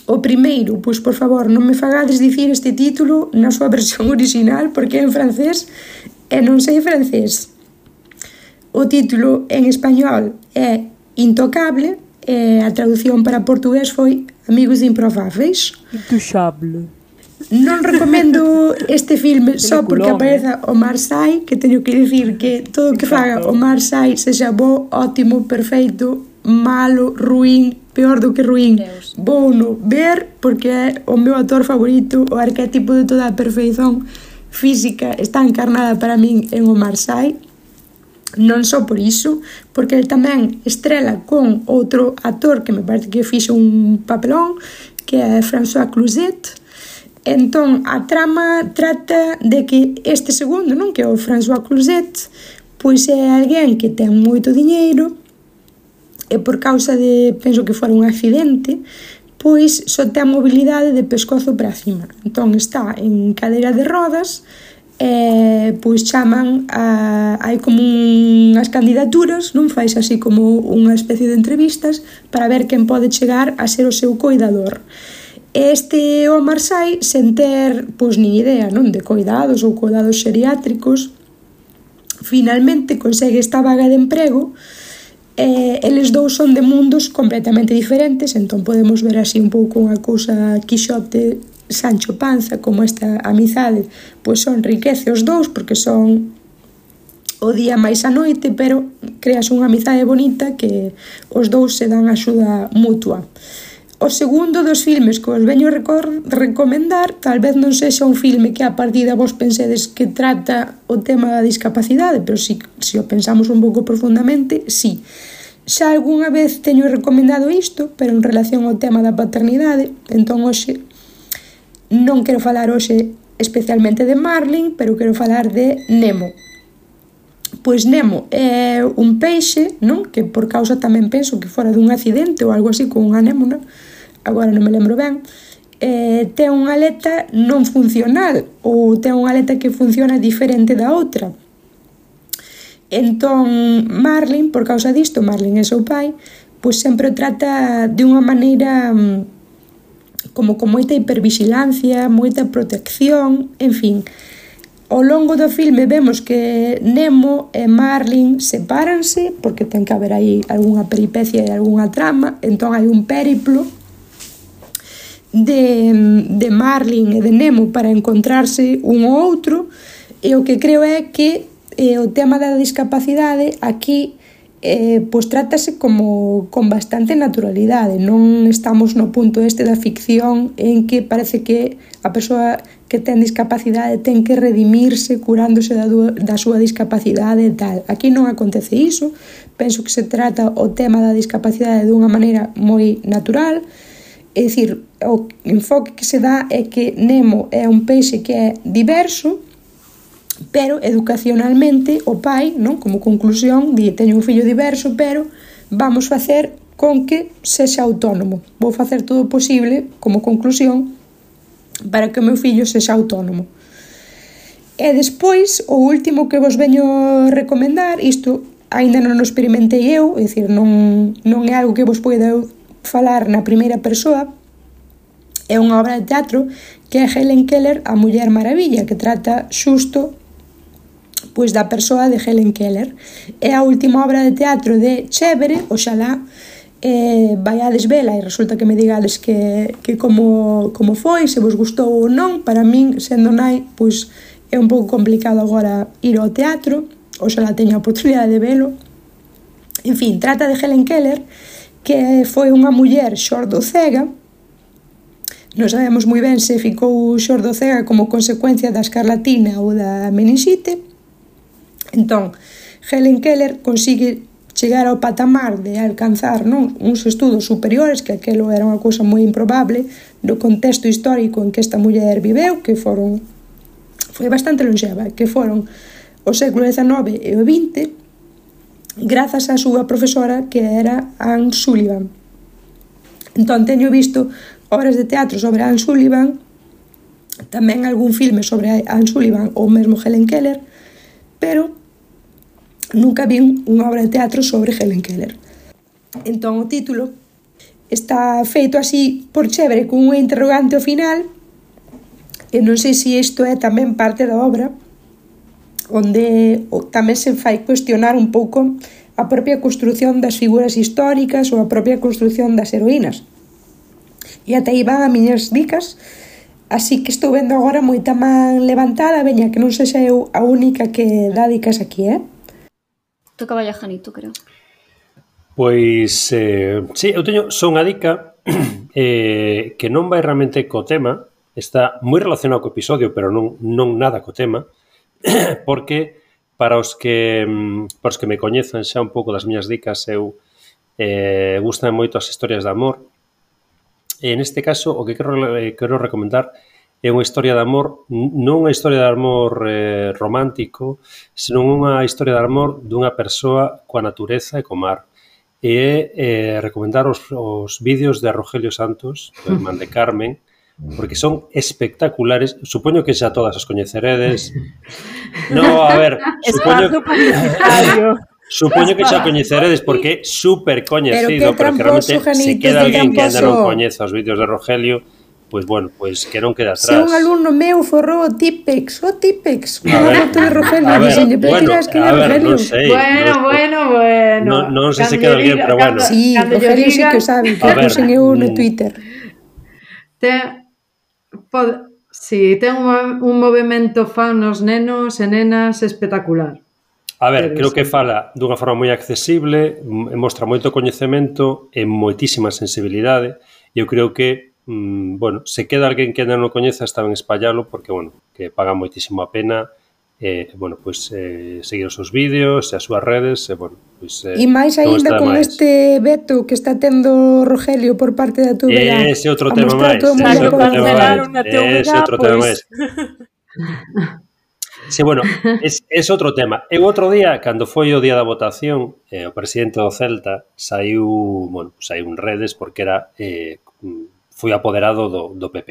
O primeiro, pois por favor, non me fagades dicir este título na súa versión original porque é en francés e non sei francés. O título en español é Intocable e a traducción para portugués foi Amigos Improváveis. Intouchable. Non recomendo este filme só porque apareza Omar Sy, que teño que dicir que todo o que faga Omar Sy, sexa bo, ótimo, perfeito, malo, ruín, peor do que ruín, vou no ver porque é o meu actor favorito, o arquetipo de toda a perfeición física está encarnada para min en Omar Sy. Non só por iso, porque ele tamén estrela con outro actor que me parece que fixo un papelón, que é François Cluzet. Entón, a trama trata de que este segundo, non, que é o François Cluzet, pois é alguén que ten moito diñeiro e por causa de, penso que fora un accidente, pois só ten mobilidade de pescozo para cima. Entón está en cadeira de rodas e pois chaman a, hai como unhas candidaturas, non, fais así como unha especie de entrevistas para ver quen pode chegar a ser o seu coidador. Este Omar Sy, sen ter pois nin idea, non, de coidados ou coidados xeriátricos, finalmente consegue esta vaga de emprego. Eh, eles dous son de mundos completamente diferentes, entón podemos ver así un pouco unha cousa Quixote, Sancho Panza, como esta amizade, pois son riquece os dous, porque son o día máis a noite, pero creas unha amizade bonita que os dous se dan axuda mutua. O segundo dos filmes que os veño recomendar, tal vez non sexa un filme que a partida vos pensedes que trata o tema da discapacidade, pero si, si o pensamos un pouco profundamente, sí. Xa algunha vez teño recomendado isto, pero en relación ao tema da paternidade, entón hoxe non quero falar hoxe especialmente de Marlin, pero quero falar de Nemo. Pois Nemo é un peixe, non? Que por causa tamén penso que fora dun accidente ou algo así con unha anémona, agora non me lembro ben, eh, ten unha aleta non funcional ou ten unha aleta que funciona diferente da outra. Entón Marlin, por causa disto, Marlin é seu pai, pois sempre o trata de unha maneira como con moita hipervigilancia, moita protección, en fin. Ao longo do filme vemos que Nemo e Marlin sepáranse porque ten que haber aí algunha peripecia e algunha trama, entón hai un périplo de, de Marlin e de Nemo para encontrarse un ou outro, e o que creo é que eh, o tema da discapacidade aquí eh, pois trátase como con bastante naturalidade. Non estamos no punto este da ficción en que parece que a persoa que ten discapacidade ten que redimirse curándose da, da súa discapacidade e tal. Aquí non acontece iso. Penso que se trata o tema da discapacidade dunha maneira moi natural. É dicir, o enfoque que se dá é que Nemo é un peixe que é diverso, pero educacionalmente o pai, non, como conclusión, di, teño un fillo diverso, pero vamos facer con que sexa autónomo. Vou facer todo o posible, como conclusión, para que o meu fillo sexa autónomo. E despois, o último que vos veño recomendar, isto aínda non o experimentei eu, é dicir, non, non é algo que vos poida falar na primeira persoa, é unha obra de teatro que é Helen Keller, a Muller Maravilla, que trata xusto pois da persoa de Helen Keller. É a última obra de teatro de Chévere, oxalá eh, vaiades vela e resulta que me digades que, que como, como foi, se vos gustou ou non. Para min, sendo nai, pois é un pouco complicado agora ir ao teatro, oxalá teña a oportunidade de velo. En fin, trata de Helen Keller, que foi unha muller xordo-cega. Non sabemos moi ben se ficou xordo-cega como consecuencia da escarlatina ou da meningite. Entón, Helen Keller consigue chegar ao patamar de alcanzar, non, uns estudos superiores, que aquelo era unha cousa moi improbable no contexto histórico en que esta muller viveu, que foron foi bastante longeva, que foron o século dezanove e o vinte, grazas á súa profesora, que era Anne Sullivan. Entón, teño visto obras de teatro sobre Anne Sullivan, tamén algún filme sobre Anne Sullivan ou mesmo Helen Keller, pero nunca vi unha obra de teatro sobre Helen Keller. Entón, o título está feito así por Chévere, con unha interrogante ao final, e non sei se isto é tamén parte da obra, onde tamén se fai cuestionar un pouco a propia construción das figuras históricas ou a propia construción das heroínas. E ata aí van a miñas dicas, así que estou vendo agora moita man levantada, veña, que non sexa eu a única que dá dicas aquí, eh? Toca vaya Janito, creo. Pois, eh, sí, eu teño só unha dica eh, que non vai realmente co tema, está moi relacionado co episodio, pero non, non nada co tema, porque para os que para os que me coñezan xa un pouco das miñas dicas, eu eh, gustan moito as historias de amor, e neste caso o que quero, eh, quero recomendar é unha historia de amor, non unha historia de amor eh, romántico, senón unha historia de amor dunha persoa coa natureza e co mar. E é eh, recomendar os, os vídeos de Rogelio Santos, o irmán de Carmen, porque son espectaculares. Supoño que xa todas os coñeceredes. No, a ver, supoño, supoño que xa coñeceredes porque é super coñecido, pero, pero que realmente se queda alguén que ainda non coñeza os vídeos de Rogelio, pois, bueno, pois que non queda atrás. Se un alumno meu forrou o Tipex, o Tipex, unha foto de Rogelio, a ver, bueno, tiras que a ver, Rogelio. non sei. Bueno, no, bueno, bueno. Non, non sei se queda alguén, pero bueno. Sí, Rogelio sí que o sabe, que o puxen eu no Twitter. Te, pod, sí, ten un, un movimento fan nos nenos e nenas espectacular. A ver, creo que fala dunha forma moi accesible, mostra moito coñecemento e moitísima sensibilidade, e eu creo que Mm, bueno, se queda alguén que ainda non coñeza, está ben espallalo, porque, bueno, que paga moitísimo a pena, eh, bueno, pois, eh, seguir os seus vídeos e as súas redes, e, bueno, pois, eh, e máis aínda con máis. Este veto que está tendo Rogelio por parte da T V G. Ese outro tema máis. Ese outro tema máis. Ese outro tema máis. Sí, bueno, es, es outro tema. E outro día, cando foi o día da votación, eh, o presidente do Celta saiu, bueno, saiu en redes porque era... Eh, foi apoderado do, do P P.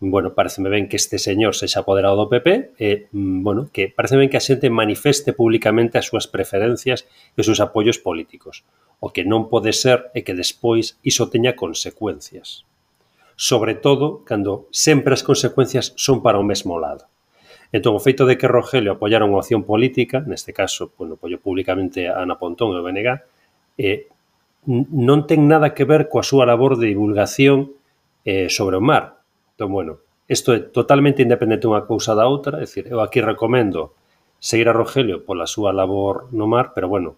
Bueno, pareceme ben que este señor sexa apoderado do P P e, bueno, que parece ben que a xente manifeste públicamente as súas preferencias e os seus apoios políticos. O que non pode ser é que despois iso teña consecuencias. Sobre todo, cando sempre as consecuencias son para o mesmo lado. Entón, o feito de que Rogelio apoiara unha opción política, neste caso, bueno, apoio públicamente a Ana Pontón e o B N G, eh, non ten nada que ver coa súa labor de divulgación eh, sobre o mar. Entón, bueno, isto é totalmente independente unha cousa da outra, é dicir, eu aquí recomendo seguir a Rogelio pola súa labor no mar, pero, bueno,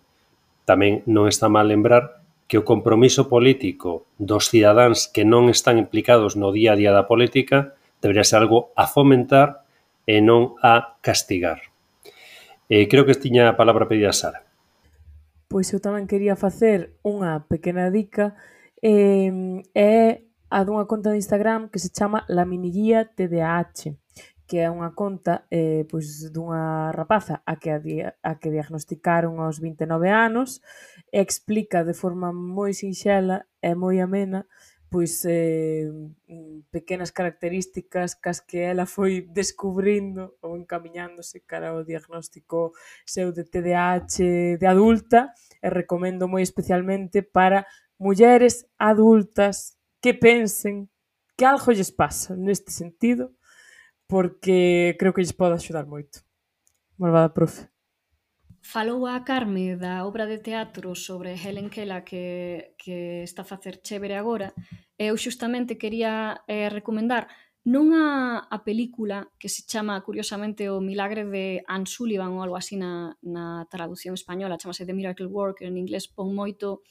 tamén non está mal lembrar que o compromiso político dos cidadáns que non están implicados no día a día da política debería ser algo a fomentar e non a castigar. Eh, creo que tiña a palabra pedida Sara. Pois eu tamén quería facer unha pequena dica, eh, é a dunha conta de Instagram que se chama La Miniguía T D A H, que é unha conta eh, pois, dunha rapaza a que, a, a que diagnosticaron aos vinte e nove anos, e explica de forma moi sinxela e moi amena pois eh, pequenas características cas que ela foi descubrindo ou encamiñándose cara ao diagnóstico seu de T D A H de adulta, e recomendo moi especialmente para mulleres adultas que pensen que algo lles pasa neste sentido, porque creo que lles pode axudar moito. Malvada profe. Falou a Carme da obra de teatro sobre Helen Keller que, que está a facer chévere agora. Eu xustamente quería eh, recomendar non a, a película que se chama, curiosamente, O Milagre de Anne Sullivan ou algo así na, na traducción española, chamase The Miracle Worker, en inglés pon moito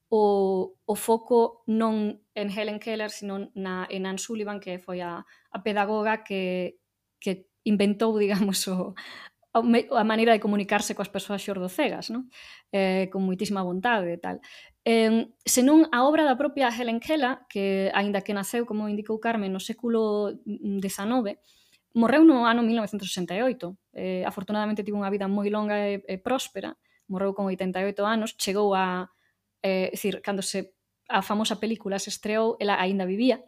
o, o foco non en Helen Keller, sino na, en Anne Sullivan, que foi a, a pedagoga que, que inventou, digamos, o, a maneira de comunicarse coas persoas xordocegas, non? Eh, con moitísima vontade e tal. Eh, senón a obra da propia Helen Keller, que, aínda que naceu, como indicou Carmen, no século dezenove, morreu no ano mil novecentos sesenta e oito. Eh, afortunadamente tivo unha vida moi longa e, e próspera, morreu con oitenta e oito anos, chegou a... Eh, decir, cando se a famosa película se estreou, ela aínda vivía.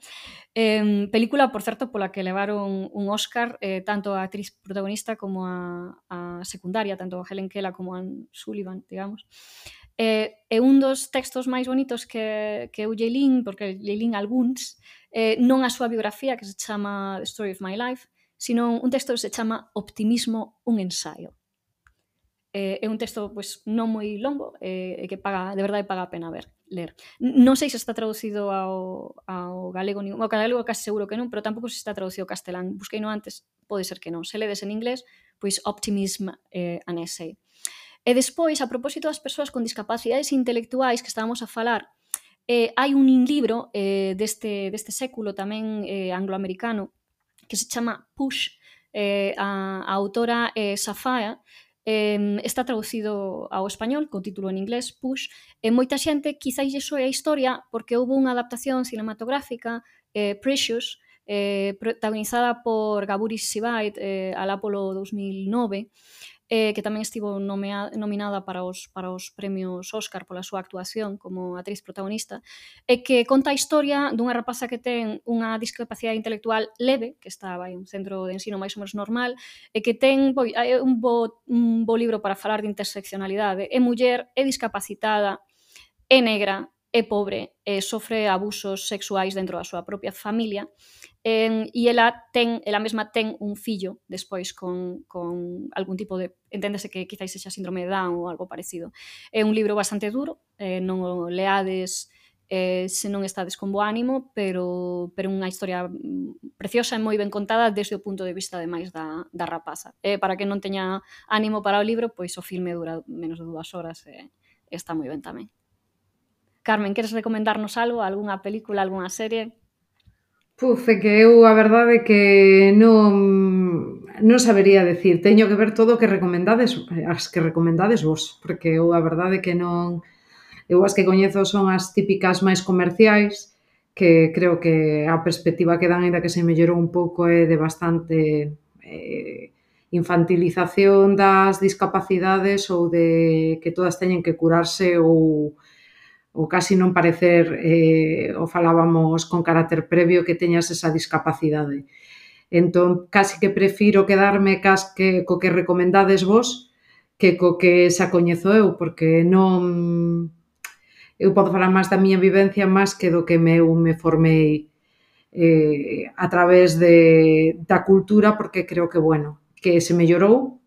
Eh, película, por certo, pola que levaron un Óscar eh, tanto a actriz protagonista como a, a secundaria, tanto a Helen Keller como a Anne Sullivan, digamos. Eh, e un dos textos máis bonitos que, que eu lle lín, porque lle lín algúns, eh, non a súa biografía, que se chama The Story of My Life, sino un texto que se chama Optimismo, un ensaio. Eh, é un texto pois, non moi longo e eh, que paga, de verdade paga a pena ver, ler. Non sei se está traducido ao, ao galego, ao galego case seguro que non, pero tampouco se está traducido ao castelán. Busquei no antes, pode ser que non. Se ledes en inglés, pois Optimism eh, an Essay. E despois, a propósito das persoas con discapacidades intelectuais que estábamos a falar, eh, hai un libro eh, deste, deste século tamén eh, angloamericano que se chama Push. Eh, a, a autora é eh, Safaya. Eh, está traducido ao español con título en inglés, Push, e moita xente quizáis lle soe a historia porque houve unha adaptación cinematográfica, eh, Precious, eh, protagonizada por Gaburi Sirait eh, alá polo dos mil nove, eh, que tamén estivo nomea, nominada para os, para os premios Óscar pola súa actuación como actriz protagonista, e que conta a historia dunha rapaza que ten unha discapacidade intelectual leve, que está vai, un centro de ensino máis ou menos normal, e que ten boi, un, bo, un bo libro para falar de interseccionalidade. É muller, é discapacitada, é negra, é pobre, e sofre abusos sexuais dentro da súa propia familia, eh, e ela ten, ela mesma ten un fillo despois con, con algún tipo de, enténdese que quizáis sexa síndrome de Down ou algo parecido. É un libro bastante duro, eh, non o leades eh, se non estades con bo ánimo, pero, pero unha historia preciosa e moi ben contada desde o punto de vista ademais da, da rapaza. Eh, para que non teña ánimo para o libro, pois o filme dura menos de dúas horas e eh, está moi ben tamén. Carmen, queres recomendarnos algo? Algúnha película, algunha serie? Puf, é que eu a verdade é que non, non sabería decir. Teño que ver todo o que recomendades, as que recomendades vos, porque eu a verdade é que non... Eu as que coñezo son as típicas máis comerciais, que creo que a perspectiva que dan, ainda que se mellorou un pouco, é de bastante eh, infantilización das discapacidades ou de que todas teñen que curarse ou ou casi non parecer, eh, o falábamos con carácter previo, que teñas esa discapacidade. Entón, casi que prefiro quedarme cas que, co que recomendades vos que co que xa coñezo eu, porque non... Eu podo falar máis da miña vivencia máis que do que me, eu me formei eh, a través de, da cultura, porque creo que, bueno, que se mellorou,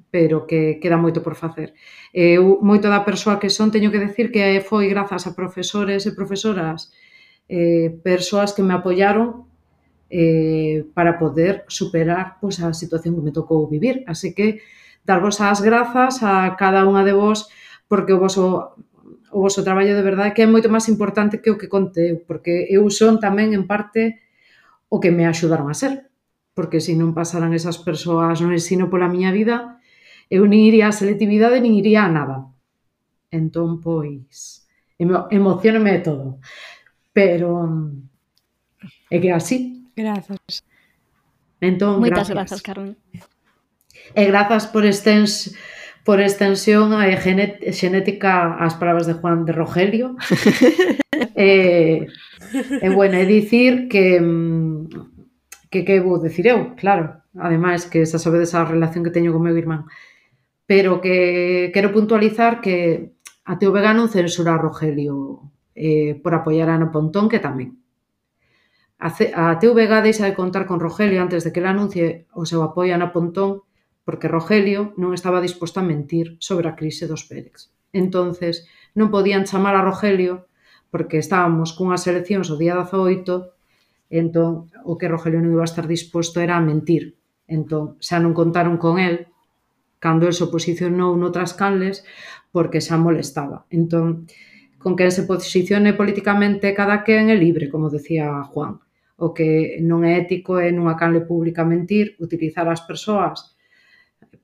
pero que queda moito por facer. Eu, moito da persoa que son, teño que decir que foi grazas a profesores e profesoras, eh, persoas que me apoiaron eh, para poder superar pois, a situación que me tocou vivir. Así que, darvos as grazas a cada unha de vos, porque o voso, o voso traballo de verdade que é moito máis importante que o que contei, porque eu son tamén, en parte, o que me axudaron a ser. Porque se non pasaran esas persoas no ensino pola miña vida, eu nin iría a selectividade, nin iría a nada. Entón, pois, emo, emocioname de todo. Pero é que así. Grazas. Entón, Moitas gracias. grazas, Carmen. E grazas por extens, por extensión a genet, xenética ás palabras de Juan de Rogelio. e, e, bueno, é dicir que que que vou dicir eu, claro, ademais que xa sabedes a relación que teño con meu irmán, pero que quero puntualizar que a T V G non censura a Rogelio eh, por apoiar a Ana Pontón, que tamén. A, C, a T V G deixa de contar con Rogelio antes de que ele anuncie o seu apoio a Ana Pontón, porque Rogelio non estaba disposto a mentir sobre a crise dos Pérex. Entonces, non podían chamar a Rogelio porque estábamos cunhas eleccións o día dezaoito, entón o que Rogelio non iba a estar disposto era a mentir. Entón, xa non contaron con el cando el se posicionou noutras canles porque xa molestaba. Entón, con quen se posicione políticamente cada quen é libre, como decía Juan. O que non é ético é nunha canle pública mentir, utilizar as persoas.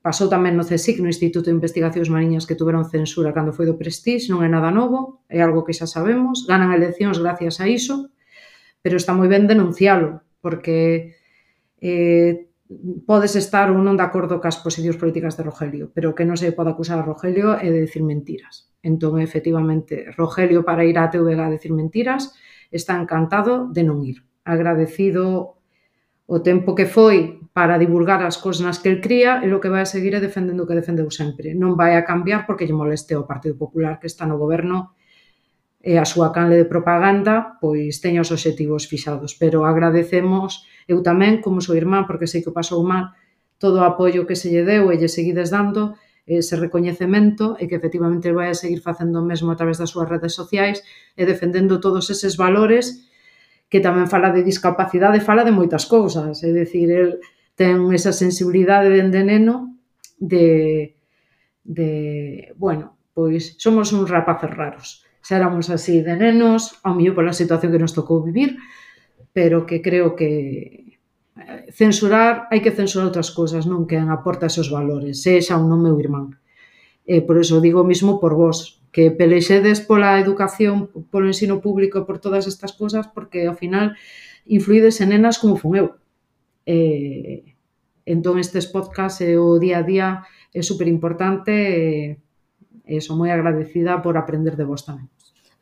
Pasou tamén no CSIC, no Instituto de Investigacións Mariñas, que tuveron censura cando foi do Prestige, non é nada novo, é algo que xa sabemos, ganan eleccións gracias a iso, pero está moi ben denuncialo, porque eh, podes estar ou non de acordo cas posicións políticas de Rogelio, pero que non se pode acusar a Rogelio é de decir mentiras. Entón, efectivamente, Rogelio, para ir á T V G a decir mentiras, está encantado de non ir. Agradecido o tempo que foi para divulgar as cousas nas que el cría, e o que vai a seguir é defendendo o que defendeu sempre. Non vai a cambiar porque lle moleste ao Partido Popular que está no goberno e a súa canle de propaganda pois teña os obxectivos fixados, pero agradecemos eu tamén, como sou irmán, porque sei que o pasou mal, todo o apoio que se lle deu e lle seguides dando, ese recoñecemento, e que efectivamente vai a seguir facendo o mesmo a través das súas redes sociais e defendendo todos eses valores, que tamén fala de discapacidade, fala de moitas cousas, é dicir, el ten esa sensibilidade dende neno de, de bueno, pois somos uns rapaces raros. Xa éramos así de nenos, ao mellor pola situación que nos tocou vivir, pero que creo que censurar, hai que censurar outras cousas, non quen aporta esos valores, sexa ou non meu irmán. E por eso digo mismo por vos, que pelexedes pola educación, polo ensino público, por todas estas cousas, porque ao final influídes en nenas como fun eu. E, entón estes podcasts e o día a día é super importante e e son moi agradecida por aprender de vos tamén.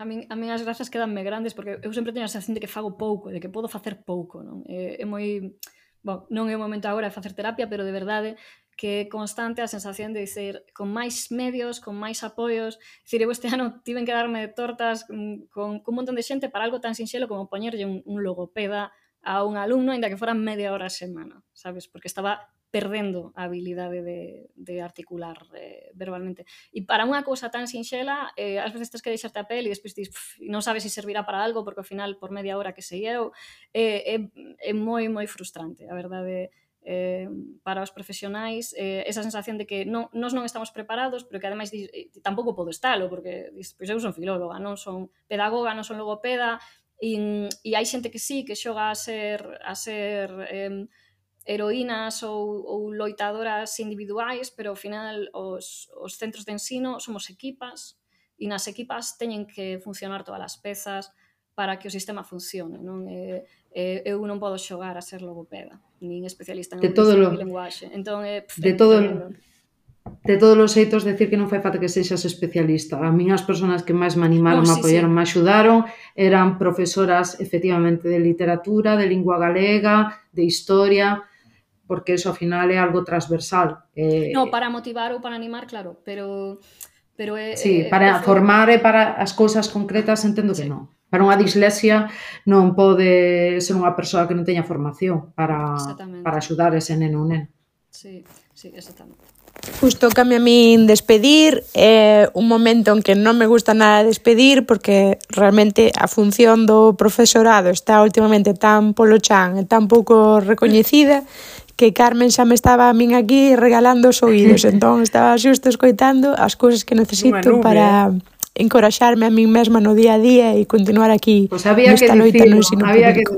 A min, a min as grazas quedanme grandes porque eu sempre teño a sensación de que fago pouco, de que podo facer pouco, non? É, é moi... Bon, non é o momento agora de facer terapia, pero de verdade que é constante a sensación de dizer con máis medios, con máis apoios. Dicir, eu este ano tiven que darme tortas con, con un montón de xente para algo tan sinxelo como poñerlle un, un logopeda a un alumno, ainda que fora media hora a semana, sabes? Porque estaba perdendo a habilidade de, de articular eh, verbalmente. E para unha cousa tan sinxela, eh, ás veces tens que deixarte a pel e despois dis, non sabes se servirá para algo, porque ao final, por media hora que sei eu, eh, é, é moi, moi frustrante, a verdade, eh, para os profesionais, eh, esa sensación de que non, nós non estamos preparados, pero que ademais dis, tampouco podo estalo, porque dis, pois eu son filóloga, non son pedagoga, non son logopeda, e, e hai xente que sí, que xoga a ser, a ser eh, heroínas ou, ou loitadoras individuais, pero ao final os, os centros de ensino somos equipas e nas equipas teñen que funcionar todas as pezas para que o sistema funcione, non? E, e, eu non podo xogar a ser logopeda, nin especialista en audición e linguaxe. Entón, é, pff, de todo lo... De todos os xeitos, decir que non fai falta que sexas especialista. A min as persoas que máis me animaron, no, sí, me apoiaron, sí, me axudaron, eran profesoras, efectivamente, de literatura, de lingua galega, de historia, porque eso, ao final, é algo transversal. Eh... No, para motivar ou para animar, claro, pero... pero é, sí, para é, formar e para as cousas concretas, entendo que sí, non. Para unha dislexia non pode ser unha persoa que non teña formación para, para axudar ese neno ou nena. Sí, sí, exactamente. Justo cambia a min despedir, é un momento en que non me gusta nada despedir porque realmente a función do profesorado está últimamente tan polo chan e tan pouco recoñecida que Carmen xa me estaba a min aquí regalando os oídos, entón estaba xusto escoitando as cousas que necesito para encoraxarme a min mesma no día a día e continuar aquí pues nesta loita no ensino público.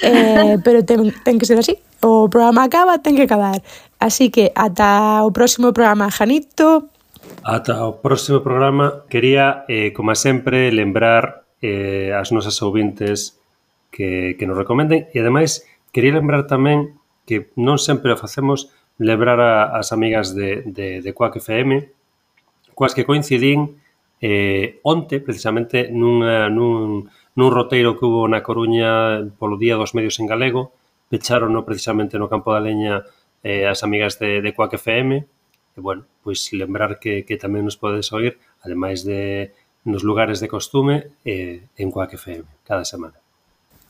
Eh, pero ten, ten que ser así. O programa acaba, ten que acabar. Así que ata o próximo programa, Janito. Ata o próximo programa. Quería, eh, como sempre, lembrar eh, as nosas ouvintes que, que nos recomenden e, ademais, quería lembrar tamén que non sempre o facemos, lembrar a, as amigas de, de, de Quack F M, coas que coincidín eh, onte, precisamente, nunha, nun, nun roteiro que hubo na Coruña polo Día dos Medios en Galego, pecharon no, precisamente no Campo da Leña eh, as amigas de, de Quack F M, e, bueno, pois lembrar que, que tamén nos podes oír, ademais de nos lugares de costume, eh, en Quack F M, cada semana.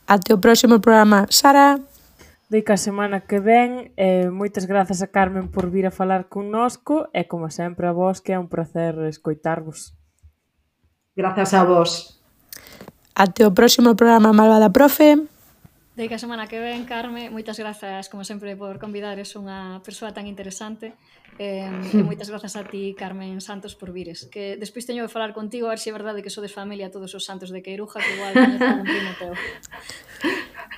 Até o próximo programa. Sara. Deica a semana que ven, eh, moitas grazas a Carmen por vir a falar connosco e, como sempre, a vos, que é un placer escoitarvos. Grazas a vos. Até o próximo programa, Malvada Profe. Deica a semana que ven, Carme, moitas grazas, como sempre, por convidares unha persoa tan interesante. Eh, e moitas grazas a ti, Carmen Santos, por vires. Que despois teño que falar contigo, a ver se é verdade que sodes familia todos os santos de Queiruja, que igual coñezo algún primo teu.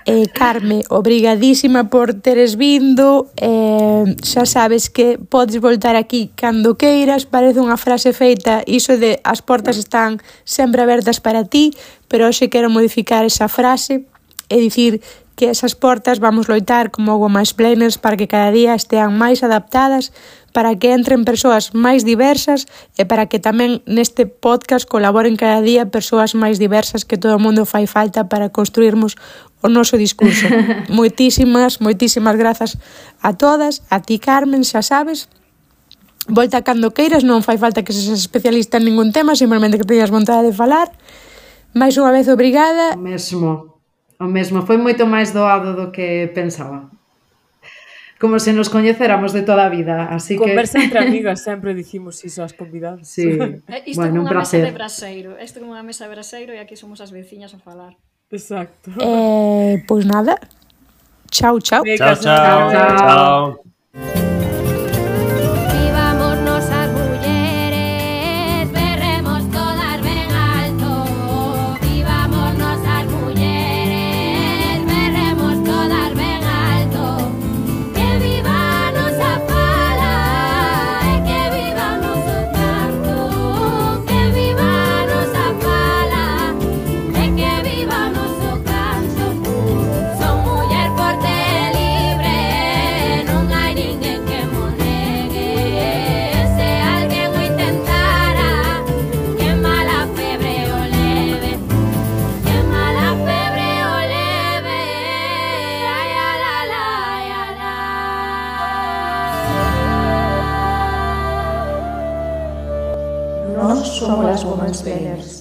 Eh, Carme, obrigadísima por teres vindo, eh, xa sabes que podes voltar aquí cando queiras, parece unha frase feita, iso de as portas están sempre abertas para ti, pero hoxe quero modificar esa frase e dicir que esas portas vamos loitar como Womansplainers para que cada día estean máis adaptadas, para que entren persoas máis diversas e para que tamén neste podcast colaboren cada día persoas máis diversas, que todo o mundo fai falta para construirmos o noso discurso. Moitísimas, moitísimas grazas a todas, a ti, Carmen, xa sabes. Volta cando queiras, non fai falta que seas especialista en ningún tema, simplemente que teñas vontade de falar. Mais unha vez, obrigada. O mesmo, o mesmo. Foi moito máis doado do que pensaba. Como se nos coñeceramos de toda a vida, así que... Conversa entre amigas, sempre dicimos iso ás convidadas. Sí, Isto bueno, un é unha mesa placer. de braseiro, isto é unha mesa de braseiro e aquí somos as veciñas a falar. Exacto. Eh, pois nada. Chao, chao. Chao, chao, Chao. chao. Vivámonos as mulleres, berremos todas ben alto. Vivámonos as mulleres, berremos todas ben alto. Que viva a nosa fala e que viva o noso canto. Que viva a nosa fala e que viva o noso canto. Son muller forte e libre, non hai ninguén que mo negue. Se alguén o intentara, que mala febre o leve, que mala febre o leve. Ai, ai, ai, ai, ai, ai. Nós somos as Womansplainers.